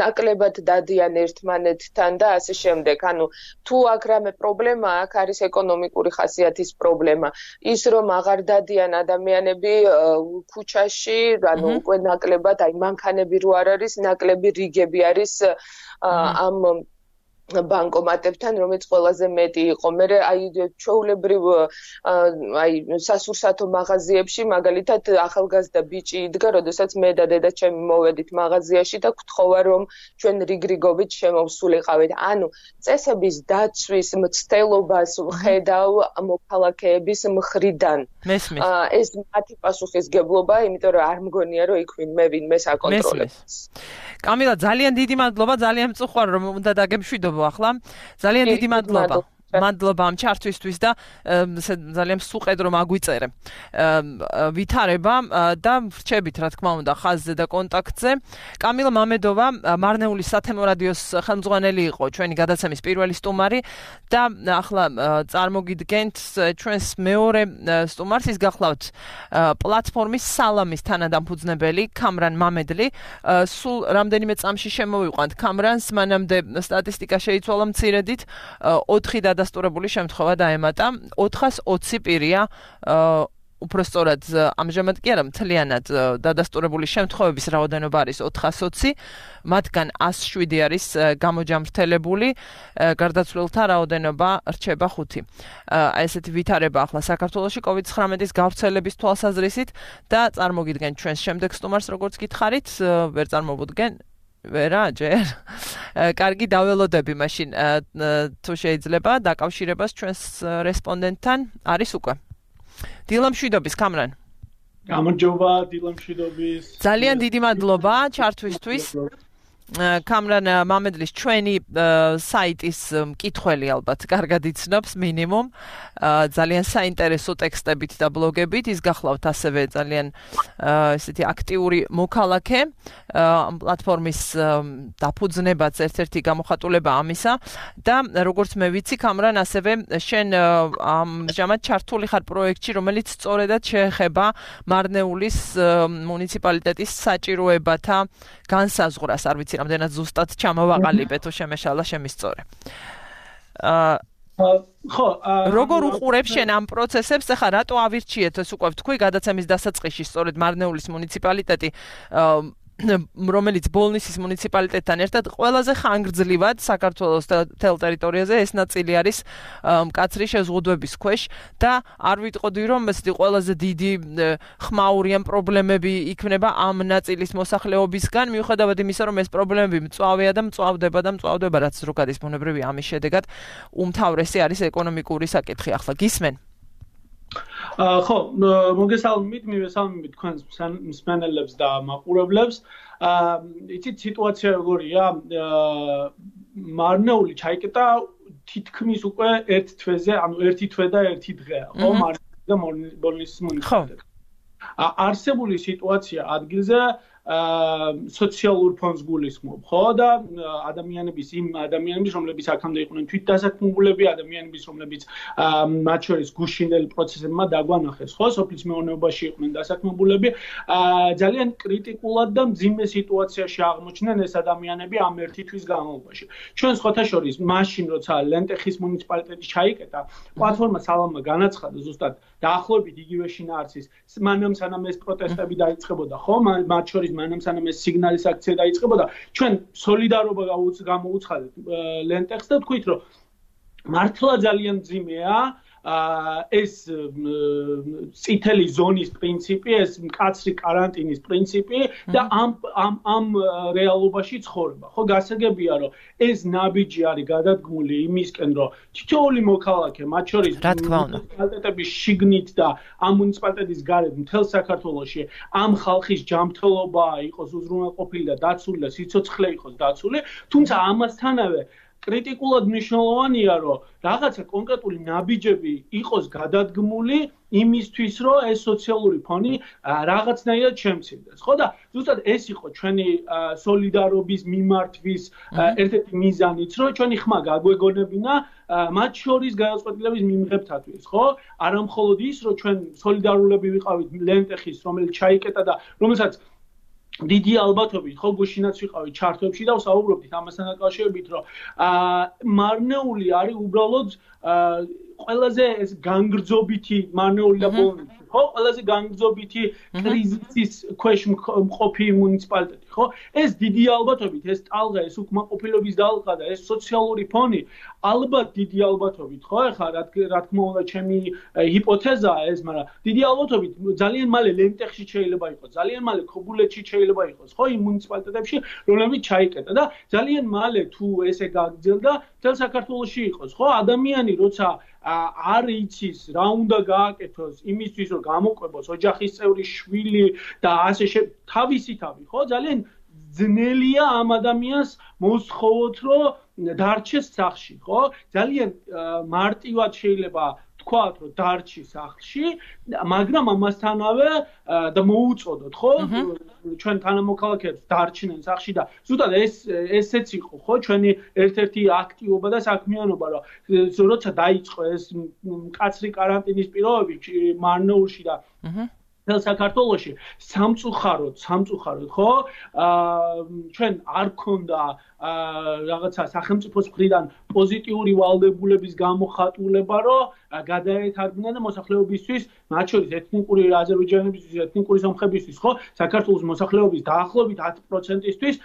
ნაკლებად დადიან ერთმანეთთან და ასე შემდეგ. თუ აქ რამე პრობლემა აქვს, არის ეკონომიკური ხასიათის პრობლემა. ის რომ აღარ დადიან ადამიანები ქუჩაში, უკვე ნაკლებად აი მანქანები რო არ არის, ნაკლები რიგები არის ამ ბანკომატებთან, რომელიც ყველაზე მეტი იყო. მე აი ჩვეულებრივ აი სასურსათო მაღაზიებში მაგალითად ახალგაზრდა ბიჭი იდგა, როდესაც მე და დედა ჩემი მოვედით მაღაზიაში და გთხოვა რომ ჩვენ რიგრიგობით შემოვსულიყავით. წესების დაცვის მცდელობას ვხედავ მოქალაქეების მხრიდან. ეს მათი პასუხისგებლობაა, იმიტომ რომ არ მგონია რომ იქ ვინმე საკონტროლებს. კამილა, ძალიან დიდი მადლობა, ძალიან მწუხვარ რომ უნდა დაგემშვიდობო ახლა. ძალიან დიდი მადლობა. მადლობა ამ ჩართვისთვის და ძალიან სუყედ რომ აგვიწერე. ვითარება და ვრჩებით რა თქმა უნდა ხაზზე და კონტაქტზე. კამილა მამედოვა მარნეულის სათემო რადიოს ხელმძღვანელი იყო ჩვენი გადაცემის პირველი სტუმარი და ახლა წარმოგიდგენთ ჩვენს მეორე სტუმარს, ის გახლავთ პლატფორმის სალამის თანადამფუძნებელი კამრან მამედლი. სულ რამდენიმე წამში შემოვიყვანთ კამრანს, მანამდე სტატისტიკა შეიცვალა მცირედით 4 დადასტურებული შემთხვევა დაემატა, 420 პირია უფრო სწორად ამჟამად კი არა მთლიანად დადასტურებული შემთხვევების რაოდენობა არის 420, მათგან 107 არის გამოჯამრთელებული, გარდაცვლილთა რაოდენობა რჩება 5. ესეთი ვითარება ახლა საქართველოში COVID-19-ის გავრცელების თვალსაზრისით და წარმოგიდგენ ჩვენს შემდეგ სტუმარს, როგორც გითხარით, ვერ წარმოვუდგენ ვერა ჯერ. კარგი, დაველოდები მაშინ თუ შეიძლება დაკავშირებას ჩვენს რესპონდენტთან არის უკვე. დილამშვიდობის კამრან. გამარჯობა, დილამშვიდობის. ძალიან დიდი მადლობა ჩართვისთვის. კამრან მამედლის ჩვენი საიტის მკითხველი ალბათ კარგად იცნობს მინიმუმ. ძალიან საინტერესო ტექსტებით და ბლოგებით, ის გახლავთ ასევე ძალიან ესეთი აქტიური მოქალაქე. ამ პლატფორმის დაფუძნებაც ერთ-ერთი გამოხატულება ამისა და როგორც მე ვიცი, კამრან ასევე შენ ამჟამად ჩართული ხარ პროექტში, რომელიც სწორედად შეეხება მარნეულის მუნიციპალიტეტის საჭიროებათა განსაზღვრას. არ ვიცი რამდენად ზუსტად ჩამოვაყალიბე თუ შემეშალა შემისწორე. როგორ უყურებ შენ ამ პროცესებს? ახლა რატო ავირჩიეთ ეს უკვე თქვი გადაცემის დასაწყისში სწორედ მარნეულის მუნიციპალიტეტი რომელიც ბოლნისის მუნიციპალიტეტთან ერთად ყველაზე ხანგრძლივად საქართველოს მთელ ტერიტორიაზე ეს ნაწილი არის მკაცრი შეზღუდვების ქვეშ და არ ვიტყოდი რომ ესეთი ყველაზე დიდი ხმაური ან პრობლემები იქნება ამ ნაწილის მოსახლეობისგან, მიუხედავად იმისა რომ ეს პრობლემები მწვავეა და მწვავდება, რაც ზოგადის ბუნებრივი ამის შედეგად უმთავრესი არის ეკონომიკური საკითხი. ახლა გისმენ? ხო, მოგესალმებით, მივესალმებით თქვენს მსმენელებს და მაყურებლებს. იცით სიტუაცია როგორია? მარნეული ჩაიკეტა თითქმის უკვე ერთ თვეზე, ანუ ერთი თვე და ერთი დღეა, ხო, მარნეულის და ბოლნისის მუნიციპალიტეტში. არსებული სიტუაცია ადგილზე სოციალურ ფონს გულისხმობ, ხო და ადამიანების რომლებიც აქამდე იყვნენ თვითდასაქმებულები, ადამიანების რომლებიც მათ შორის გუშინდელ პროცესებმა დაგვანახეს, ხო, სოფლის მეურნეობაში იყვნენ დასაქმებულები, ძალიან კრიტიკულად და მძიმე სიტუაციაში აღმოჩნდნენ ეს ადამიანები ამ ერთი თვის განმავლობაში. ჩვენ სხვათა შორის მაშინ როცა ლენტეხის მუნიციპალიტეტი ჩაიკეტა, პლატფორმა სალამა განაცხადა ზუსტად დაახლოებით იგივე შინაარსის, მანამ სანამ ეს პროტესტები დაიწყებოდა, ხო, მათ შორის მანამ სანამ ეს სიგნალის აქცია დაიწყებოდა, ჩვენ სოლიდარობა გამოუცხადეთ ლენტეხს და თქვით, რომ მართლა ძალიან მძიმეა ეს წითელი ზონის პრინციპი, ეს მკაცრი каранტინის პრინციპი და ამ რეალობაში ცხოვრება. ხო, გასაგებია, რომ ეს ნაბიჯი არის გადადგმული იმისკენ, რომ თითოეული მოქალაქე, მათ შორის მუნიციპალიტეტების შიგნით და ამ მუნიციპალიტეტის გარეთ მთელ საქართველოში ამ ხალხის ჯანმრთელობა იყოს უზრუნველყოფილი და დაცული და სიცოცხლე იყოს დაცული, თუმცა ამასთანავე კრიტიკულად მნიშვნელოვანია, რომ რაღაცა კონკრეტული ნაბიჯები იყოს გადადგმული იმისთვის, რომ ეს სოციალური ფონი რაღაცნაირად შემცირდეს. ხო და ზუსტად ეს იყო ჩვენი სოლიდარობის მიმართვის ერთ-ერთი მიზანიც, რომ ჩვენი ხმა გაგვეგონებინა მათ შორის გადაწყვეტილების მიმღებთათვის, ხო? არა მხოლოდ ის, რომ ჩვენ სოლიდარულები ვიყავით ლენტეხის, რომელიც ჩაიკეტა და რომელსაც დიდი ალბათობით ხო გუშინაც ვიყავით ჩარტებში და ვსაუბრობდით ამასთან დაკავშირებით, რომ მარნეული არის უბრალოდ ყველაზე ეს განგრძობითი მარნეული და პოლონეთი, ხო? ყველაზე განგრძობითი კრიზისის ქვეშ მყოფი მუნიციპალიტეტი, ხო? ეს დიდი ალბათობით, ეს ტალღა, ეს უკმაყოფილების დალღა და ეს სოციალური ფონი ალბათ დიდი ალბათობით, ხო? ეხლა რა თქმა უნდა ჩემი ჰიპოთეზაა ეს, მაგრამ დიდი ალბათობით ძალიან მალე ლენტეხში შეიძლება იყოს, ძალიან მალე ქობულეთში შეიძლება იყოს, ხო? იმ მუნიციპალიტეტებში, რომლებიც ჩაიკეტა და ძალიან მალე თუ ესე გაგრძელდა, მთელ საქართველოში იყოს, ხო? ადამიანი როცა არ იცის რა უნდა გააკეთოს იმისთვის რომ გამოყვებოს ოჯახის წევრი შვილი და ასე თავისი, ხო? ძალიან ძნელია ამ ადამიანს მოსხოვოთ რომ დარჩეს სახლში, ხო? ძალიან მარტივად შეიძლება თქვათ რომ დარჩის სახლში, მაგრამ ამასთანავე და მოუწოდოთ, ხო? ჩვენ თანამოქალაქეებს დარჩნენ სახლში და ზუსტად ესეც იყო, ხო? ჩვენი ერთ-ერთი აქტივობა და საქმიანობა, რომ როცა დაიწყო ეს მკაცრი каранტინის პირობები მარნეულში და მთელ საქართველოში სამწუხაროდ, ხო? ჩვენ არ გქონდა რაღაცა სახელმწიფოს მხრიდან პოზიტიური ვალდებულების გამოხატულება, რომ გადაეთარგმნა და მოსახლეობისთვის, მათ შორის ეთნიკური აზერბაიჯანებისთვის, ეთნიკური სომხებისთვის, ხო? საქართველოს მოსახლეობის დაახლოებით 10%-ისთვის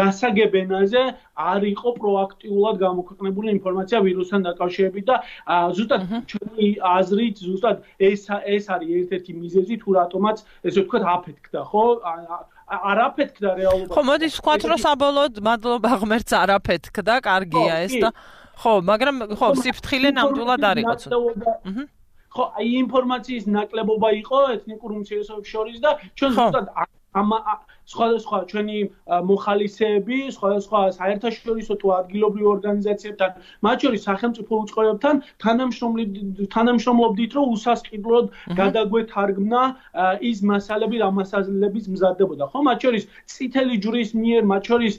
გასაგებ ენაზე არ იყო პროაქტიულად გამოქვეყნებული ინფორმაცია ვირუსთან დაკავშირებით და ზუსტად ჩვენი აზრით, ზუსტად ეს არის ერთ-ერთი მიზეზი, თუ რატომაც ესე ვთქვათ აფეთქდა, ხო? არაფეთქდა რეალობაში. ხო, მოდი ვთქვათ, რომ საბოლოოდ მადლობა ღმერთს არაფეთქდა, კარგია ეს და ხო, მაგრამ ხო, სიფრთხილე ნამდვილად არ იყო. ხო, აი ინფორმაციის ნაკლებობა იყო ეთნიკურ უმცირესობებს შორის და ჩვენ ზუსტად სხვადასხვა ჩვენი მოხალისეები, სხვადასხვა საერთაშორისო თუ ადგილობრივ ორგანიზაციებთან, მათ შორის სახელმწიფო უწყებებთან თანამშრომლობდით, რომ უსასყიდლოდ გადაგვეთარგმნა ის მასალები, რა მასალების მზადდებოდა, ხო? მათ შორის წითელი ჯვრის მიერ, მათ შორის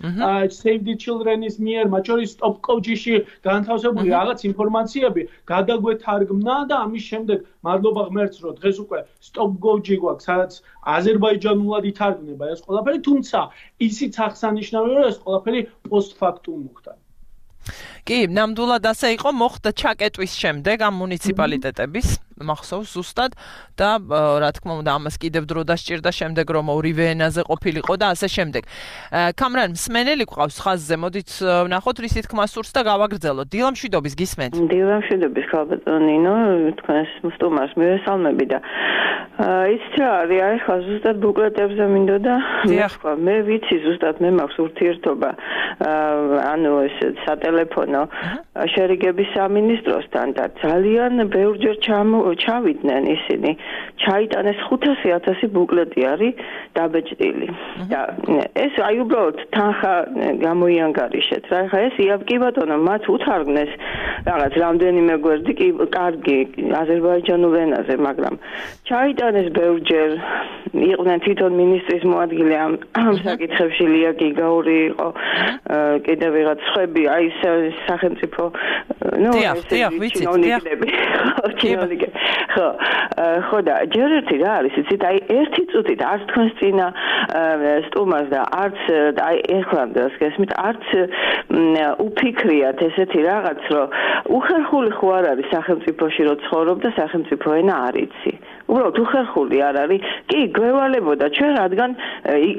Save the Children-ის მიერ, მათ შორის Stop COVID-ში განთავსებული რაღაც ინფორმაციები გადაგვეთარგმნა და ამის შემდეგ მადლობა ღმერთს, რომ დღეს უკვე Stop COVID-ი გვაქვს, სადაც აზერბაიჯანულად ითარგმნება ეს ყველაფერი, თუმცა ისიც აღსანიშნავია, რომ ეს ყველაფერი პოსტფაქტუმ მოხდა. კი, ნამდვილად ასე იყო, მოხდა ჩაკეტვის შემდეგ ამ მუნიციპალიტეტების მახსოვს ზუსტად და რა თქმა უნდა ამას კიდევ დრო დასჭირდა შემდეგ რომ ორივე ენაზე ყოფილიყო და ასე შემდეგ. კამრან, მსმენელი გვყავს ხაზზე, მოდით ვნახოთ რისი თქმა სურს და გავაგრძელოთ. დილამშვიდობის გისმენთ. დილამშვიდობის ხალბატონ ნინო, თქვენს სტუმარს მივესალმები და იცით რა არის, ახლა ზუსტად ბუკლეტებზე მინდოდა მეხვა. მე ვიცი ზუსტად მე მაქვს ურთიერთობა ანუ ეს სატელეფონო შერიგების სამინისტროსთან და ძალიან ბევრჯერ ჩავიდნენ ისინი. ჩაიტანეს 500,000 ბუკლეტი არის დაბეჭდილი. და ეს აი უბრალოდ თანხა გამოიანგარიშეთ რა. ხა ეს კი ბატონო მათ უთარგმნეს რაღაც რამდენიმე გვერდი კი კარგი აზერბაიჯანულ ენაზე, მაგრამ ჩაიტანეს ბევრჯერ იყვნენ თვითონ მინისტრის მოადგილე ამ საკითხებში ლია გიგაური იყო კიდევ ვიღაც ხვები აი სახელმწიფო ხო და ჯერ ერთი რა არის იცით აი ერთი წუთით არც თქვენს წინა სტუმარს და არც აი ეხლანდელს გესმით არც უფიქრიათ ესეთი რაღაც რომ უხერხული ხო არ არის სახელმწიფოში რომ ცხოვრობ და სახელმწიფო ენა არ იცი უბრალოდ უხერხული არ არის კი გვევალებოდა ჩვენ რადგან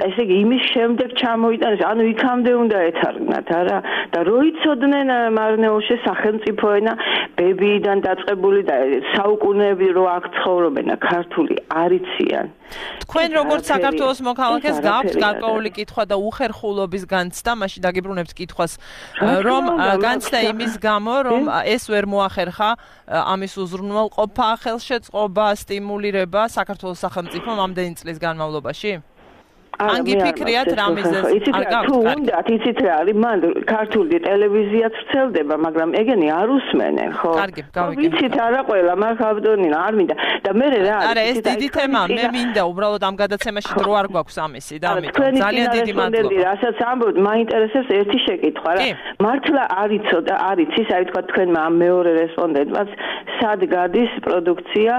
ესე იგი იმის შემდეგ ჩამოიტანეს ანუ იქამდე უნდა ეთარგმნათ არა და რო იცოდნენ მარნეულ მარნეულში სახელმწიფო ენა ბებიიდან დაწყებული და საუკუნეები რო აქ ცხოვრობენ ქართული არიციან. თქვენ როგორც საქართველოს მოქალაქეს გაქვთ გარკვეული კითხვა და უხერხულობის განცდა, მაშინ დაგიბრუნებთ კითხვას, რომ განცდა იმის გამო, რომ ეს ვერ მოახერხა ამის უზრუნველყოფა, ხელშეწყობა, სტიმულირება საქართველოს სახელმწიფომ ამდენი წლის განმავლობაში? ან გიფიქრიათ რამიზეს არ გაქვთ? იცით რა არის, მან ქართული ტელევიზიაც ვრცელდება, მაგრამ ეგენი არ უსმენენ, ხო? კარგი, გავიგე. ვიცით არა ყველა, მაგრამ ხავდონინა არ მინდა. და მე რა არის? არა, ეს დიდი თემაა, მე მინდა უბრალოდ ამ გადაცემაში დრო არ გვაქვს ამისი და ამიტომ ძალიან დიდი მადლობა. რასაც ამბობთ, მაინტერესებს ერთი შეკითხვა რა. მართლა არიცოდა, არიცის, აი თქვა თქვენმა ამ მეორე რესპონდენტმაც, სად გადის პროდუქცია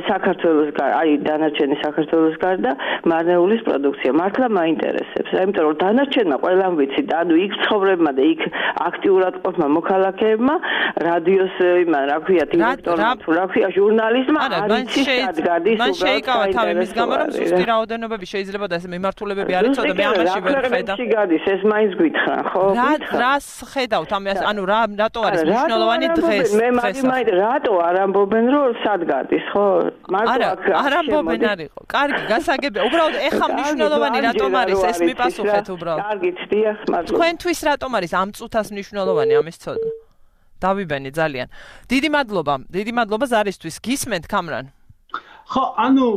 საქართველოს გარდა, აი დანარჩენი საქართველოს გარდა, მარნეულის პროდუქცია. მართლა მაინტერესებს, იმიტომ რომ დანარჩენმა ყველამ ვიცით, ანუ იქ ცხოვრებმა და იქ აქტიურად ყოფმა მოქალაქეებმა, რადიოს იმან რა ქვია, დირექტორმა თუ რა ქვია, ჟურნალისტმა არიცი სად გადის უბრალოდ. მან შეიკავა თავი მის გამო, რომ სუსტი რაოდენობები შეიძლება და ეს მიმართულებები არ იცოდა, მე ამაში ვერ ხედავ. გადის ეს მაინც გითხრან, ხო? რას ხედავთ ამას, ანუ რატო არის მნიშვნელოვანი დღეს? მე მაინც რატო არ ამბობენ რომ სად გადის, ხო? არ ამბობენ არისო. კარგი, გასაგებია. უბრალოდ ეხა მნიშვნელოვანი რატომ არის ეს მიპასუხეთ უბრალოდ. კარგით, დიახ, მადლობა. თქვენთვის რატომ არის ამ წუთას მნიშვნელოვანი ამის ცოდნა? დავიბენი ძალიან. დიდი მადლობა ზარისთვის. გისმენთ კამრან? ხო, ანუ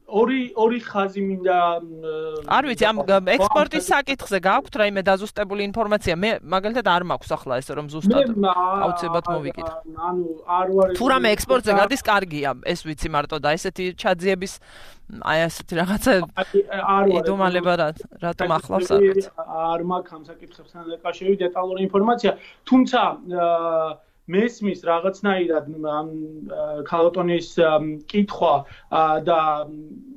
ორი ხაზი მინდა არ ვიცი ამ ექსპორტის საკითხზე გაქვთ რაიმე დაზუსტებული ინფორმაცია? მე მაგალითად არ მაქვს ახლა ეს რომ ზუსტად აუცილებლად მოვიკითხო. ანუ არ ვარ თუ რამე ექსპორტზე გადის კარგია, ეს ვიცი მარტო და ესეთი ჩაძიების აი ასეთი რაღაცა იდუმალება რატომ ახლავს აქ? არ მაქვს ამ საკითხებთან დაკავშირებით დეტალური ინფორმაცია, თუმცა მესმის რაღაცნაირად ამ ქალოტონის კითხვა და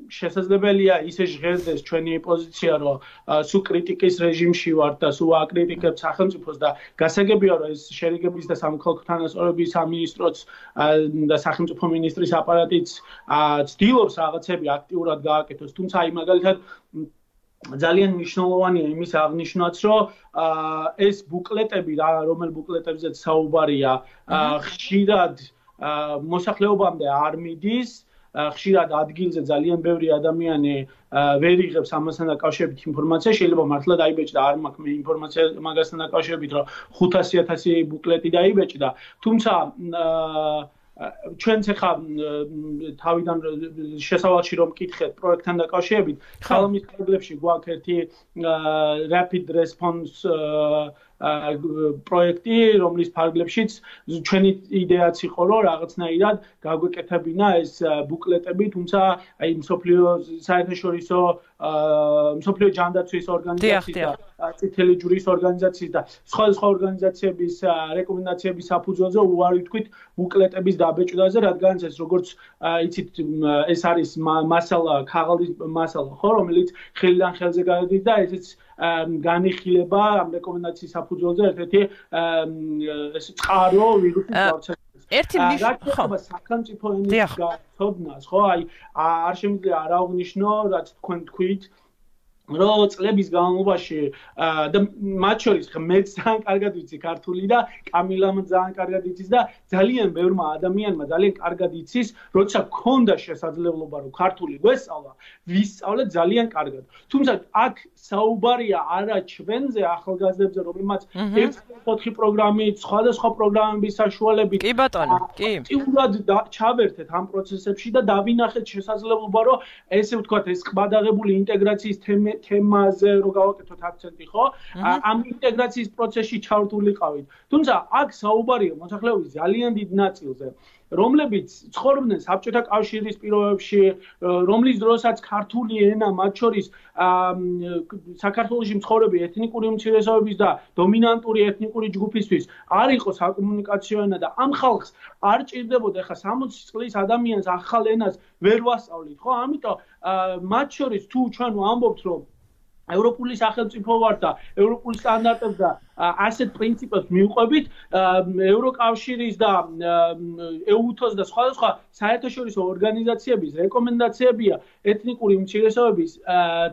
შესაძლებელია ისე ჟღერდეს ჩვენი პოზიცია, რომ სულ კრიტიკის რეჟიმში ვართ და სულ აკრიტიკებთ სახელმწიფოს და გასაგებია, რომ ეს შერიგების და სამოქალაქო თანასწორობის სამინისტროც და სახელმწიფო მინისტრის აპარატიც ცდილობს რაღაცები აქტიურად გააკეთოს, თუმცა აი მაგალითად ძალიან მნიშვნელოვანია იმის აღნიშვნაც, რომ ეს ბუკლეტები, რომელ ბუკლეტებზეც საუბარია, ხშირად მოსახლეობამდე არ მიდის, ხშირად ადგილზე ძალიან ბევრი ადამიანი ვერ იღებს ამასთან დაკავშირებით ინფორმაცია, შეიძლება მართლა დაიბეჭდა, არ მაქვს მე ინფორმაცია მაგასთან დაკავშირებით, რომ 500,000 ბუკლეტი დაიბეჭდა, თუმცა ჩვენც ახლა თავიდან შესავალში რომ მკითხეთ პროექტთან დაკავშირებით, ხალხის კადრებში გვაქვს ერთი rapid response პროექტი, რომლის ფარგლებშიც ჩვენი იდეაც იყო, რომ რაღაცნაირად გაგვეკეთებინა ეს ბუკლეტები, თუმცა აი მსოფლიო საერთაშორისო მსოფლიო ჯანდაცვის ორგანიზაციის და წითელი ჯვრის ორგანიზაციის და სხვა ორგანიზაციების რეკომენდაციების საფუძველზე უარი ვთქვით ბუკლეტების დაბეჭდაზე, რადგანაც ეს როგორც იცით ეს არის მასალა, ქაღალდის მასალა, ხო, რომელიც ხელიდან ხელზე გადადის და ესეც განიხილება ამ რეკომენდაციის საფუძველზე ერთ-ერთი ეს წყარო ვირუსის გავრცელებას. ერთი ნიშნობა სახელმწიფო ენის გაცოდნას, ხო, აი არ შემიძლია არ აღნიშნო, რაც თქვენ თქვით, რომ წლების განმავლობაში და მათ შორის მე ძალიან კარგად ვიცი ქართული და კამილამ ძალიან კარგად იცის და ძალიან ბევრმა ადამიანმა ძალიან კარგად იცის, როცა გქონდა შესაძლებლობა რომ ქართული გვესწავლა, ვისწავლე ძალიან კარგად. თუმცა აქ საუბარია არა ჩვენზე ახალგაზრდებზე, რომელმაც 1-4 პროგრამით, სხვადასხვა პროგრამების საშუალებით კი ბატონო, კი. აქტიურად ჩავერთეთ ამ პროცესებში და დავინახეთ შესაძლებლობა, რომ ესე ვთქვათ, ეს ყბადაღებული ინტეგრაციის თემაზე რო გავაკეთოთ აქცენტი, ხო? ამ ინტეგრაციის პროცესში ჩართულიყავით. თუმცა აქ საუბარია მოსახლეობის ძალიან დიდ ნაწილზე, რომლებიც ცხოვრობდნენ საბჭოთა კავშირის პირობებში, რომლის დროსაც ქართული ენა მათ შორის საქართველოში მცხოვრები ეთნიკური უმცირესობების და დომინანტური ეთნიკური ჯგუფისთვის არ იყო საკომუნიკაციო ენა და ამ ხალხს არ ჭირდებოდა ხა 60 წლის ადამიანს ახალ ენას ვერ ვასწავლით, ხო? ამიტომ მათ შორის თუ ჩვენ ვამბობთ, რომ ევროპული სახელმწიფო ვართ და ევროპულ სტანდარტებს და ასეთ პრინციპებს მივყვებით ევროკავშირის და EU-ს და სხვადასხვა საერთაშორისო ორგანიზაციების რეკომენდაციებია ეთნიკური უმცირესობების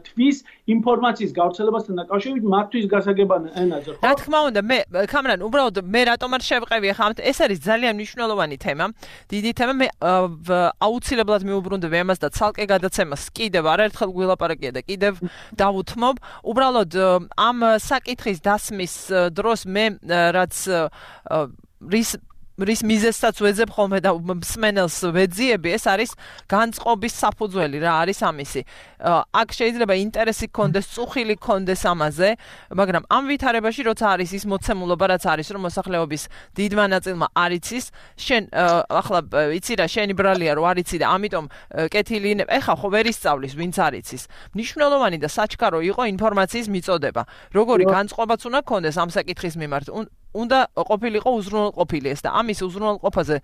თვის ინფორმაციის გავრცელებასთან დაკავშირებით მათთვის გასაგებად ენაზე. რა თქმა უნდა, მე კამრან, უბრალოდ მე რატომ არ შევყევი ახლა ეს არის ძალიან მნიშვნელოვანი თემა, დიდი თემა, მე აუცილებლად მიუბრუნდები ამას და ცალკე გადაცემას კიდევ არაერთხელ გვილაპარაკია და კიდევ დავუთმობ. უბრალოდ ამ საკითხის დასმის დროს მე რაც რის მიზეზსაც ვეძებ ხოლმე და მსმენელს ვეძიები, ეს არის განწყობის საფუძველი რა არის ამისი. აქ შეიძლება ინტერესი გქონდეს, წუხილი გქონდეს ამაზე, მაგრამ ამ ვითარებაში როცა არის ის მოცემულობა, რაც არის, რომ მოსახლეობის დიდმა ნაწილმა არ იცის, შენ ახლა იცი რა, შენი ბრალია რო არ იცი და ამიტომ კეთილი ეხა ხო ვერ ისწავლის, ვინც არ იცის. მნიშვნელოვანი და საჩქარო იყო ინფორმაციის მიწოდება. როგორი განწყობაც უნდა გქონდეს ამ საკითხის მიმართ. უნდა ყოფილიყო უზრუნველყოფილი ეს და ამის უზრუნველყოფაზე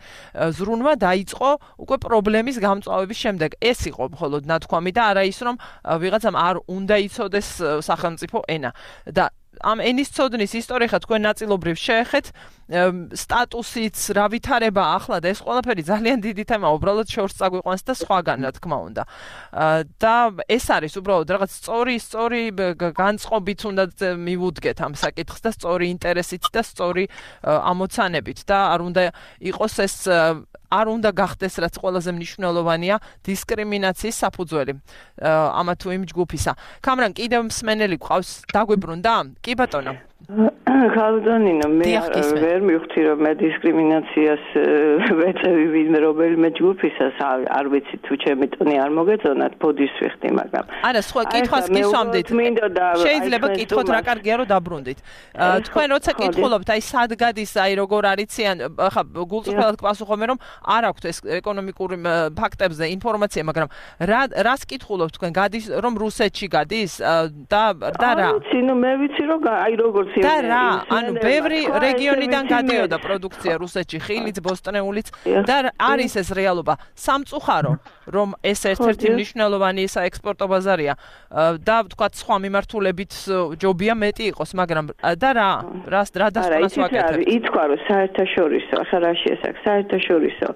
ზრუნვა დაიწყო უკვე პრობლემის გამწვავების შემდეგ. ეს იყო მხოლოდ ნათქვამი და არა ის, რომ ვიღაცამ არ უნდა იცოდეს სახელმწიფო ენა. და ამ ენის ცოდნის ისტორია თქვენ ნაწილობრივ შეეხეთ, სტატუსიც, რა ვითარება ახლა და ეს ყველაფერი ძალიან დიდი თემაა, უბრალოდ შორს წაგვიყვანს და სხვაგან, რა თქმა უნდა. და ეს არის უბრალოდ რაღაც სწორი განწყობით უნდა მივუდგეთ ამ საკითხს და სწორი ინტერესით და სწორი ამოცანებით და არ უნდა იყოს ეს არ უნდა გახდეს, რაც ყველაზე მნიშვნელოვანია, დისკრიმინაციის საფუძველი ამა თუ იმ ჯგუფისა. კამრან, კიდევ მსმენელი გყავს, დაგვიბრუნდა? კი ბატონო. ხალხონინო, მე ვერ მივხვდი რომ მე დისკრიმინაციას ვეწევი ვინმე რომელიმე ჯგუფისას, არ ვიცი თუ ჩემი ტონი არ მოგეწონათ, ბოდის ვიხდი, მაგრამ არა, სხვა კითხვას გისვამდით. შეიძლება კითხოთ რა კარგია რომ დაბრუნდით. თქვენ როცა კითხულობთ, აი სად გადის, აი როგორ არიციან, ხა გულწრფელად გპასუხობენ რომ არ აქვთ ეს ეკონომიკური ფაქტებზე ინფორმაცია, მაგრამ რას კითხულობთ თქვენ? გადის რომ რუსეთში გადის და რა? ვიცი, ნუ მე ვიცი რომ აი როგორც და რა, ანუ ბევრი რეგიონიდან გადიოდა პროდუქცია რუსეთში, ხილიც, ბოსტნეულიც და არის ეს რეალობა. სამწუხარო, რომ ეს ერთ-ერთი მნიშვნელოვანი საექსპორტო ბაზარია და ვთქვათ სხვა მიმართულებით ჯობია მეტი იყოს, მაგრამ და რა დასკვნას ვაკეთებთ? ითქვა რომ საერთაშორისო, ახლა რა შეესახ საერთაშორისო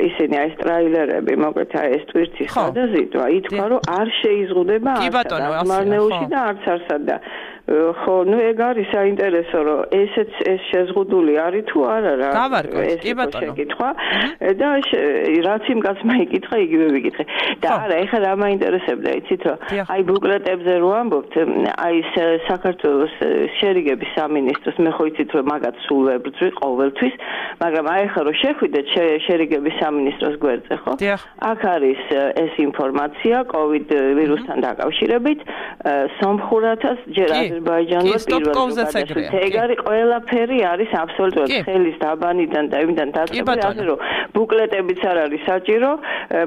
ისინი აი ტრაილერები, მოკლედ აი ეს ტვირთის გადაზიდვა, ითქვა რომ არ შეიზღუდება არც მარნეულში და არც არსად და ხო, ნუ ეგ არის საინტერესო, რომ ეს შეზღუდული არის თუ არა რა. გავარკვევთ, კი ბატონო. შეკითხვა და რაც იმ კაცმა იკითხა, იგივე ვიკითხე. და არა, ეხლა რა მაინტერესებდა, იცით რომ აი ბუკლეტებზე რო ამბობთ, აი საქართველოს შერიგების სამინისტროს, მე ხო იცით რომ მაგათ სულ ვებრძვი ყოველთვის, მაგრამ აი ეხლა რომ შეხვიდეთ შერიგების სამინისტროს გვერდზე, ხო? აქ არის ეს ინფორმაცია COVID ვირუსთან დაკავშირებით, სომხურათას ჯერ აზერბაიჯანმა პირველად ეგ არის ყველაფერი არის აბსოლუტურად ხელის დაბანიდან და იმიდან დაწყებული, ასე რომ ბუკლეტებიც არ არის საჭირო,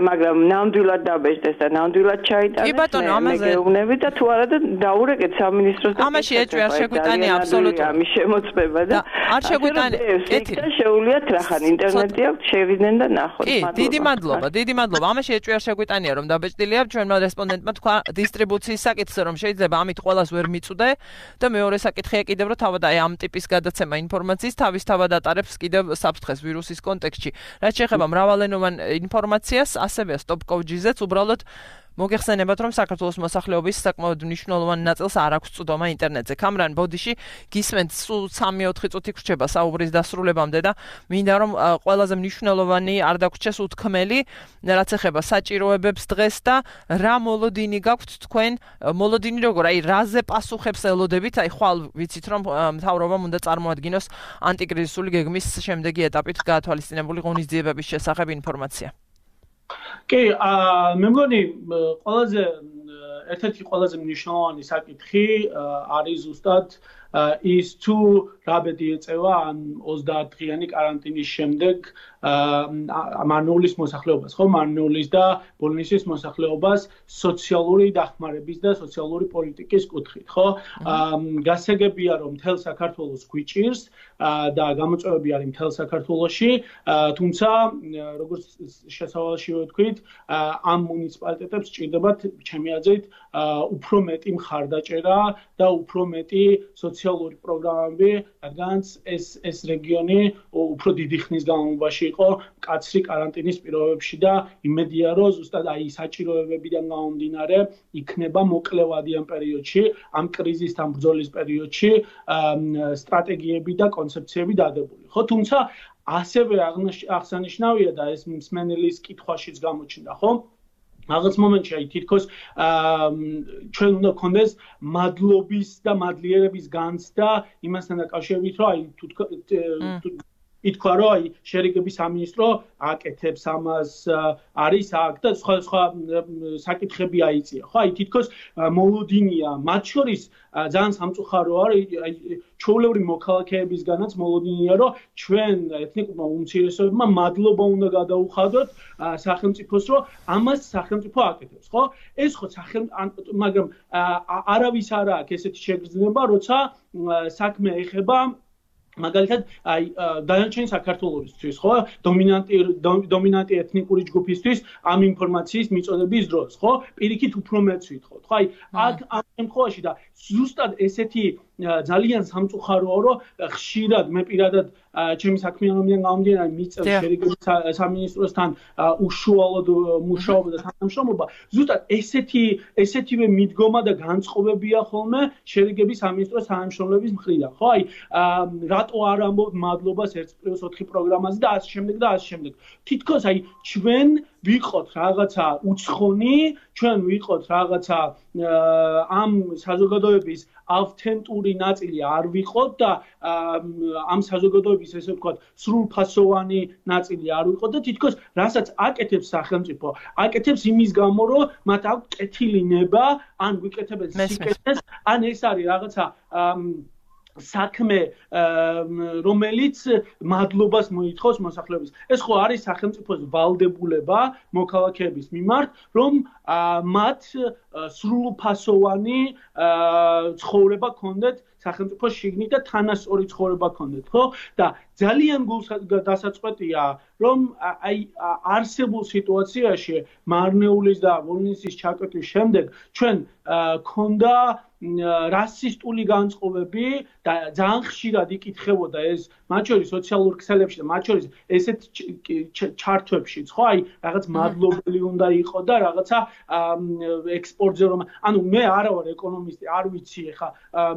მაგრამ ნამდვილად დაბეჭდეს და ნამდვილად ჩაიტანეს. კი ბატონო, ამაზე გეუბნები და თუ არა და დაურეკეთ სამინისტროს და ამაში ეჭვი არ შეგვიტანია აბსოლუტურად ამის შემოწმება და არ შეგვიტანია. კეთილი შეუულიათ რახან ინტერნეტი აქვს, შევიდნენ და ნახოთ. კი, დიდი მადლობა. ამაში ეჭვი არ შეგვიტანია რომ დაბეჭდილია, ჩვენმა რესპონდენტმა თქვა დისტრიბუციის საკითხზე, რომ შეიძლება ამით ყველას ვერ მიწვდე და მეორე საკითხია კიდევ რომ თავად აი ამ ტიპის გადაცემა ინფორმაციის თავისთავად ატარებს კიდევ საფრთხეს ვირუსის კონტექსტში. რაც შეეხება მრავალენოვან ინფორმაციას, ასევე stop.gz-ს უბრალოდ მოგეხსენებათ, რომ საქართველოს მოსახლეობის საკმაოდ მნიშვნელოვანი ნაწილს არ აქვს წვდომა ინტერნეტზე. კამრან, ბოდიში გისმენთ სულ 3-4 წუთი გრჩება საუბრის დასრულებამდე და მინდა რომ ყველაზე მნიშვნელოვანი არ დაგვრჩეს უთქმელი, რაც ეხება საჭიროებებს დღეს და რა მოლოდინი გაქვთ თქვენ, მოლოდინი როგორ, აი რაზე პასუხებს ელოდებით, აი ხვალ ვიცით რომ მთავრობამ უნდა წარმოადგინოს ანტიკრიზისული გეგმის შემდეგი ეტაპით გაათვალისწინებული ღონისძიებების შესახებ ინფორმაცია. კი, მე მგონი ერთ-ერთი ყველაზე მნიშვნელოვანი საკითხი არის ზუსტად ის თუ რა ბედი ეწევა ან 30 დღიანი კარანტინის შემდეგ მარნეულის მოსახლეობას, ხო, მარნეულის და ბოლნისის მოსახლეობას სოციალური დახმარების და სოციალური პოლიტიკის კუთხით, ხო? გასაგებია რომ მთელ საქართველოს გვიჭირს და გამოწვევები არის მთელ საქართველოში, თუმცა როგორც შესავალში ვთქვით, ამ მუნიციპალიტეტებს ჭირდებათ ჩემი აზრით უფრო მეტი მხარდაჭერა და უფრო მეტი სოციალური პროგრამები, რადგანაც ეს რეგიონი უფრო დიდი ხნის განმავლობაში იყო მკაცრი კარანტინის პირობებში და იმედია, რომ ზუსტად აი საჭიროებებიდან გამომდინარე იქნება მოკლევადი ამ პერიოდში, ამ კრიზისთან ბრძოლის პერიოდში სტრატეგიები და კონცეფციები დადებული. ხო, თუმცა ასევე აღსანიშნავია და ეს მსმენელის კითხვაშიც გამოჩნდა, ხო? რაღაც მომენტში აი თითქოს ჩვენ უნდა გქონდეს მადლობის და მადლიერების განცდა იმასთან დაკავშირებით, რომ აი თუ ითქვა, რომ აი შერიგების სამინისტრო აკეთებს ამას, არის აქ და სხვა საკითხები აიწია. ხო, აი თითქოს მოლოდინია, მათ შორის ძალიან სამწუხაროა, აი ჩვეულებრივი მოქალაქეებისგანაც მოლოდინია, რომ ჩვენ ეთნიკურმა უმცირესობებმა მადლობა უნდა გადაუხადოთ სახელმწიფოს, რომ ამას სახელმწიფო აკეთებს, ხო? ეს ხო მაგრამ არავის არ აქვს ესეთი შეგრძნება, როცა საქმე ეხება მაგალითად აი დანარჩენი საქართველოსთვის ხო დომინანტი ეთნიკური ჯგუფისთვის ამ ინფორმაციის მიწოდების დროს ხო პირიქით უფრო მეც ვითხოვთ ხო აი აქ ამ შემთხვევაში და ზუსტად ესეთი ძალიან სამწუხაროა რომ ხშირად მე პირადად ჩემი საქმიანობიდან გამომდინარე მიწევს შერიგების სამინისტროსთან უშუალოდ მუშაობა და თანამშრომლობა ზუსტად ესეთივე მიდგომა და განწყობებია ხოლმე შერიგების სამინისტროს თანამშრომლების მხრიდან ხო აი რატო არ ამბობთ მადლობას 1+4 პროგრამაზე და ასე შემდეგ თითქოს აი ჩვენ ვიყოთ რაღაცა უცხონი ჩვენ ვიყოთ რაღაცა ამ საზოგადოების ავთენტური ნაწილი არ ვიყოთ და ამ საზოგადოების ესე ვთქვათ სრულფასოვანი ნაწილი არ ვიყოთ და თითქოს რასაც აკეთებს სახელმწიფო აკეთებს იმის გამო რომ მათ აქვს კეთილი ნება ან ვიკეთებენ სიკეთეს ან ეს არის რაღაცა საქმე რომელიც მადლობას მოითხოვს მოსახლეობის ეს ხო არის სახელმწიფოს ვალდებულება მოქალაქეების მიმართ რომ მათ სრულფასოვანი ცხოვრება ქონდეთ სახელმწიფოს შიგნით და თანასწორი ცხოვრება ქონდეთ ხო და ძალიან გულსდასაწყვეტია რომ აი არსებულ სიტუაციაში მარნეულის და ვოლნისის ჩაკეტვის შემდეგ ჩვენ ქონდა რასისტული განწყობები და ძალიან ხშირად იკითხებოდა ეს მათ შორის სოციალურ ქსელებში და მათ შორის ესეთ ჩართვებშიც ხო აი რაღაც მადლობელი უნდა იყო და რაღაცა ექსპორტზე რომ ანუ მე არა ვარ ეკონომისტი არ ვიცი ხა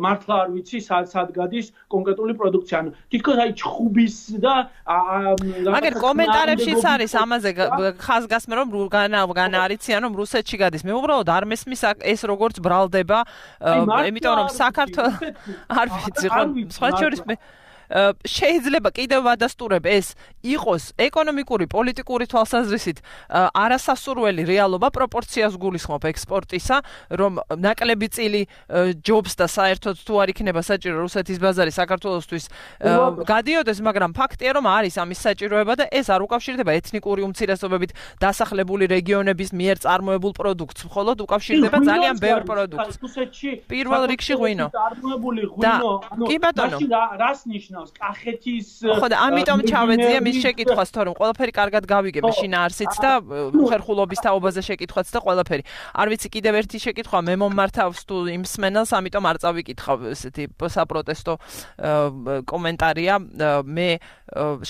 მართლა არ ვიცი სად გადის კონკრეტული პროდუქცია ანუ თითქოს აი ჩხუბის და მაგერ კომენტარებშიც არის ამაზე ხაზგასმე რომ განარიციან რომ რუსეთში გადის მე უბრალოდ არ მესმის ეს როგორც ბრალდება იმიტომ რომ საქართველოს არ ვიცი ხო სხვა შორის შეიძლება კიდევ ვადასტურებ ეს იყოს ეკონომიკური, პოლიტიკური თვალსაზრისით არასასურველი რეალობა პროპორციას გულისხმობ ექსპორტისა, რომ ნაკლები წილი ჯობს და საერთოდ თუ არ იქნება საჭირო რუსეთის ბაზარი საქართველოსთვის გადიოდეს, მაგრამ ფაქტია რომ არის ამის საჭიროება და ეს არ უკავშირდება ეთნიკური უმცირესობებით დასახლებული რეგიონების მიერ წარმოებულ პროდუქტს, მხოლოდ უკავშირდება ძალიან ბევრ პროდუქტს. პირველ რიგში ღვინო. წარმოებული ღვინო, ანუ რას ნიშნავს კახეთის ხო და ამიტომ ჩავეძია მის შეკითხვას თორემ ყველაფერი კარგად გავიგე მე შინაარსიც და ხერხულობის თაობაზე შეკითხვაც და ყველაფერი არ ვიცი კიდევ ერთი შეკითხვა მე მომმართავს თუ იმ სმენელს ამიტომ არ წავიკითხავ ესეთი საპროტესტო კომენტარია მე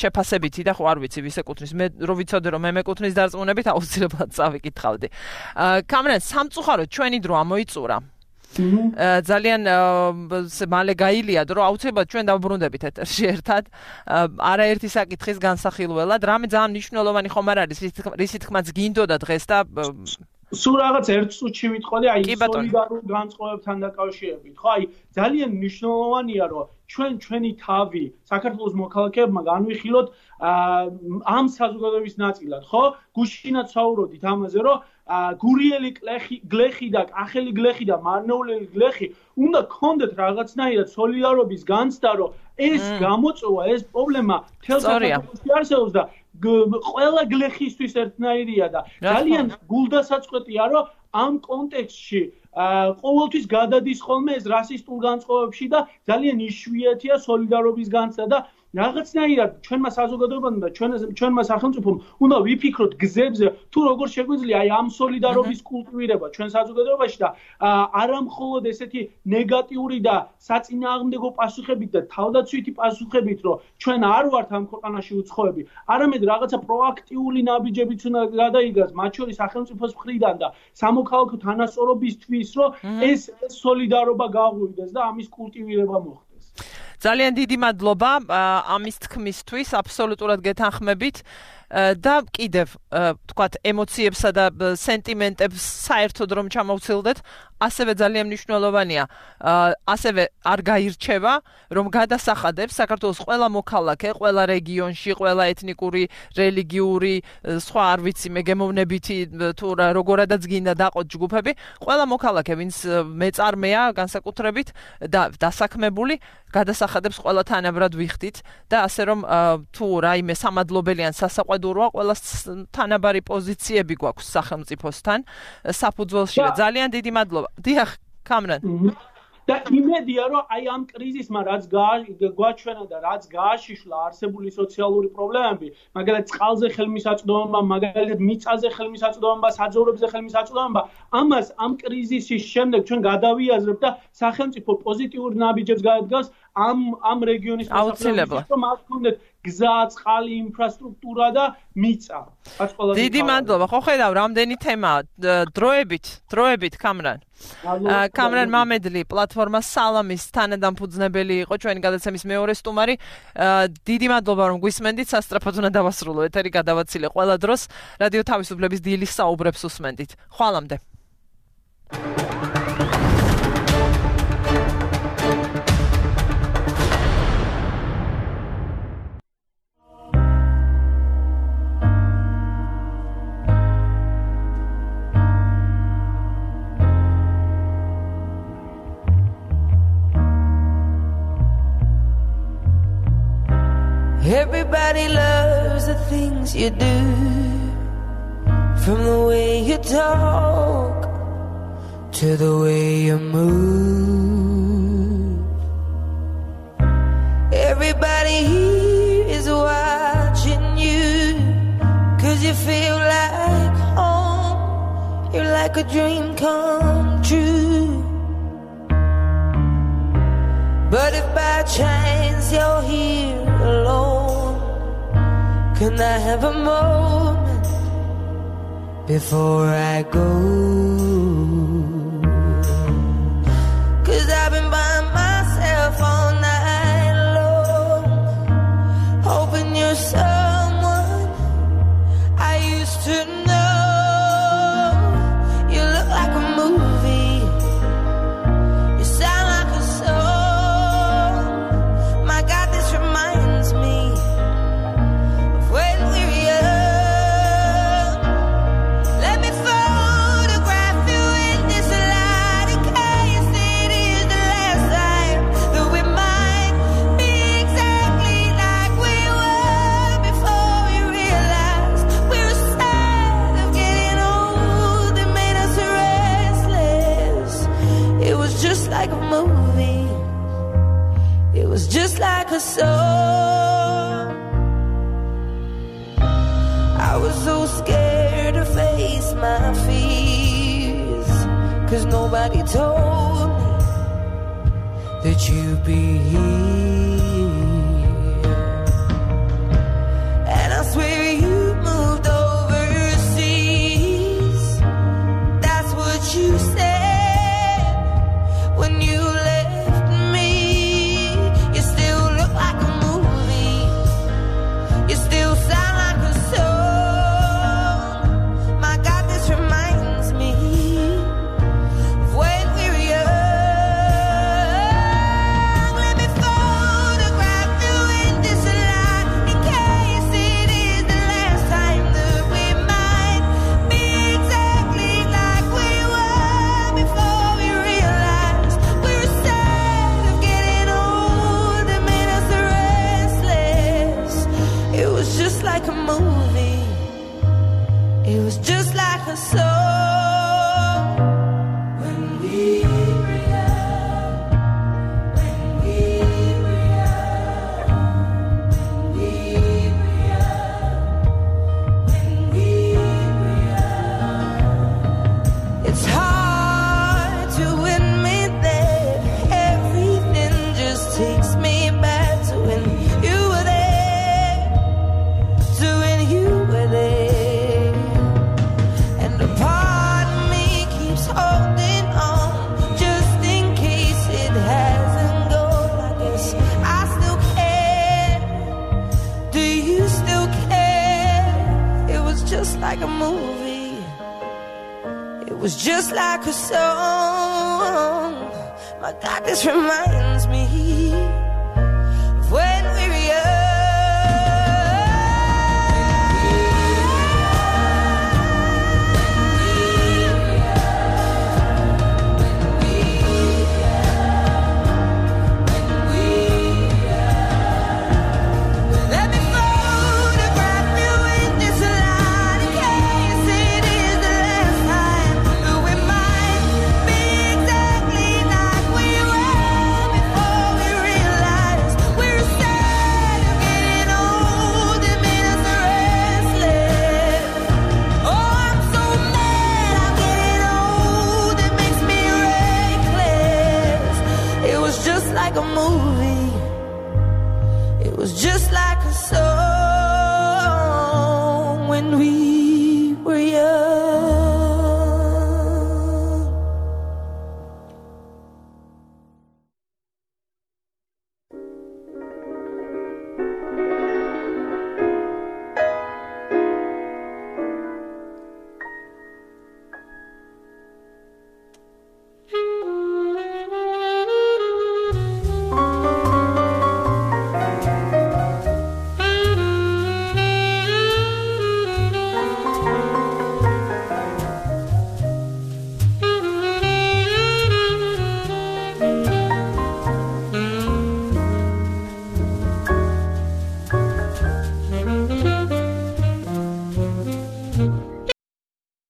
შეფასებითი და ხო არ ვიცი ვის ეკუთვნის მე რო ვიცოდე რომ მე მეკუთვნის დარწმუნებით აუცილებლად წავიკითხავდი კამერან სამწუხაროდ ჩვენი დრო ამოიწურა ძალიან მალე გაილია რომ აუცილებლად ჩვენ დავბრუნდებით ეთერში ერთად არაერთი საკითხის განსახილველად რამე ძალიან მნიშვნელოვანი ხომ არ არის რის თქმაც გინდოდა დღეს და სულ რაღაც ერთ წუთში ვიტყოდი აი სოლიდარულ განწყობებთან დაკავშირებით ხო აი ძალიან მნიშვნელოვანია რომ ჩვენი თავი საქართველოს მოქალაქეებმა განვიხილოთ ამ საზოგადოების ნაწილად ხო გუშინაც საუბრობდით ამაზე რომ გურიელი გლეხი და კახელი გლეხი და მარნეულელი გლეხი უნდა გქონდეთ რაღაცნაირად სოლიდარობის განცდა რომ ეს გამოწვევა ეს პრობლემა თელ საქართველოში არსებობს და ყველა გლეხისთვის ერთნაირია და ძალიან გულდასაწყვეტია რომ ამ კონტექსტში ყოველთვის გადადის ხოლმე ეს რასისტულ განწყობებში და ძალიან იშვიათია სოლიდარობის განცდა და რაღაცნაირად ჩვენმა საზოგადოებამ და ჩვენმა სახელმწიფომ უნდა ვიფიქროთ გზებზე თუ როგორ შეგვიძლია აი ამ სოლიდარობის კულტივირება ჩვენ საზოგადოებაში და არა მხოლოდ ესეთი ნეგატიური და საწინააღმდეგო პასუხებით და თავდაცვითი პასუხებით რომ ჩვენ არ ვართ ამ ქვეყანაში უცხოები არამედ რაღაცა პროაქტიული ნაბიჯებიც უნდა გადაიგას მათ შორის სახელმწიფოს მხრიდან და სამოქალაქო თანასწორობისთვის რომ ეს სოლიდარობა გაღვივდეს და ამის კულტივირება მოხდეს. ძალიან დიდი მადლობა ამის თქმისთვის, აბსოლუტურად გეთანხმებით და კიდევ თქვათ ემოციებსა და სენტიმენტებს საერთოდ რომ ჩამოვცილდეთ, ასევე ძალიან მნიშვნელოვანია, ასევე არ გაირჩევა, რომ გადასახადებს საქართველოს ყველა მოქალაქე, ყველა რეგიონში, ყველა ეთნიკური, რელიგიური, სხვა არ ვიცი, მეგემოვნებითი თუ როგორადაც გინდა დაყოთ ჯგუფები, ყველა მოქალაქე, ვინც მეწარმეა განსაკუთრებით და დასაქმებული, გადასახადებს ყველა თანაბრად ვიხდით და ასე რომ თუ რაიმე სამადლობელი ან სასაყვედუროა, ყველა თანაბარი პოზიციები გვაქვს სახელმწიფოსთან საფუძველში. ძალიან დიდი მადლობა. დიახ, კამრან. და იმედია რომ აი ამ კრიზისმა რაც გვაჩვენა და რაც გააშიშლა არსებული სოციალური პრობლემები, მაგალითად წყალზე ხელმისაწვდომობა, მაგალითად მიწაზე ხელმისაწვდომობა, საძოვრებზე ხელმისაწვდომობა, ამას ამ კრიზისის შემდეგ ჩვენ გადავიაზრებთ და სახელმწიფო პოზიტიურ ნაბიჯებს გადადგას ამ რეგიონის აუცილებლად რომ აქ გქონდეთ გზა, წყალი, ინფრასტრუქტურა და მიწა. დიდი მადლობა. ხო ხედავ, რამდენი თემაა. დროებით კამრან. კამრან მამედლი პლატფორმა სალამის თანადამფუძნებელი იყო ჩვენი გადაცემის მეორე სტუმარი. დიდი მადლობა რომ გვისმენდით, სასწრაფოდ უნდა დავასრულო. ეთერი გადავაცილე ყველა დროს. რადიო თავისუფლების დილის საუბრებს უსმენდით. ხვალამდე. Everybody loves the things you do, from the way you talk to the way you move. Everybody here is watching you, 'cause you feel like home. You're like a dream come true. But if by chance you're here alone, can I have a moment before I go? 'Cause I've been by myself all night long, hoping you're someone I used to know. You look like a movie, you sound like a song. My God, this reminds me of when we were young. Let me photograph you in this light, in case it is the last time that we might be exactly like we were before we realized we were sad of getting old. It made us restless. It was just like a movie, it was just like a song. I was so scared to face my fears, 'cause nobody told me that you'd be here. And I swear you moved overseas. That's what you said when you left me. You still look like a movie, you still sound like a song. My God, this reminds me of when we were young. Let me photograph you in this light, in case it is the last time that we might be exactly like we were before we realized we were sad of getting old. It made us restless. It was just like a movie, it was just like a song. When we were young, when we were young. movie. It was just like a song. My God, this reminds me of when we were young. Like a movie, it was just like a song.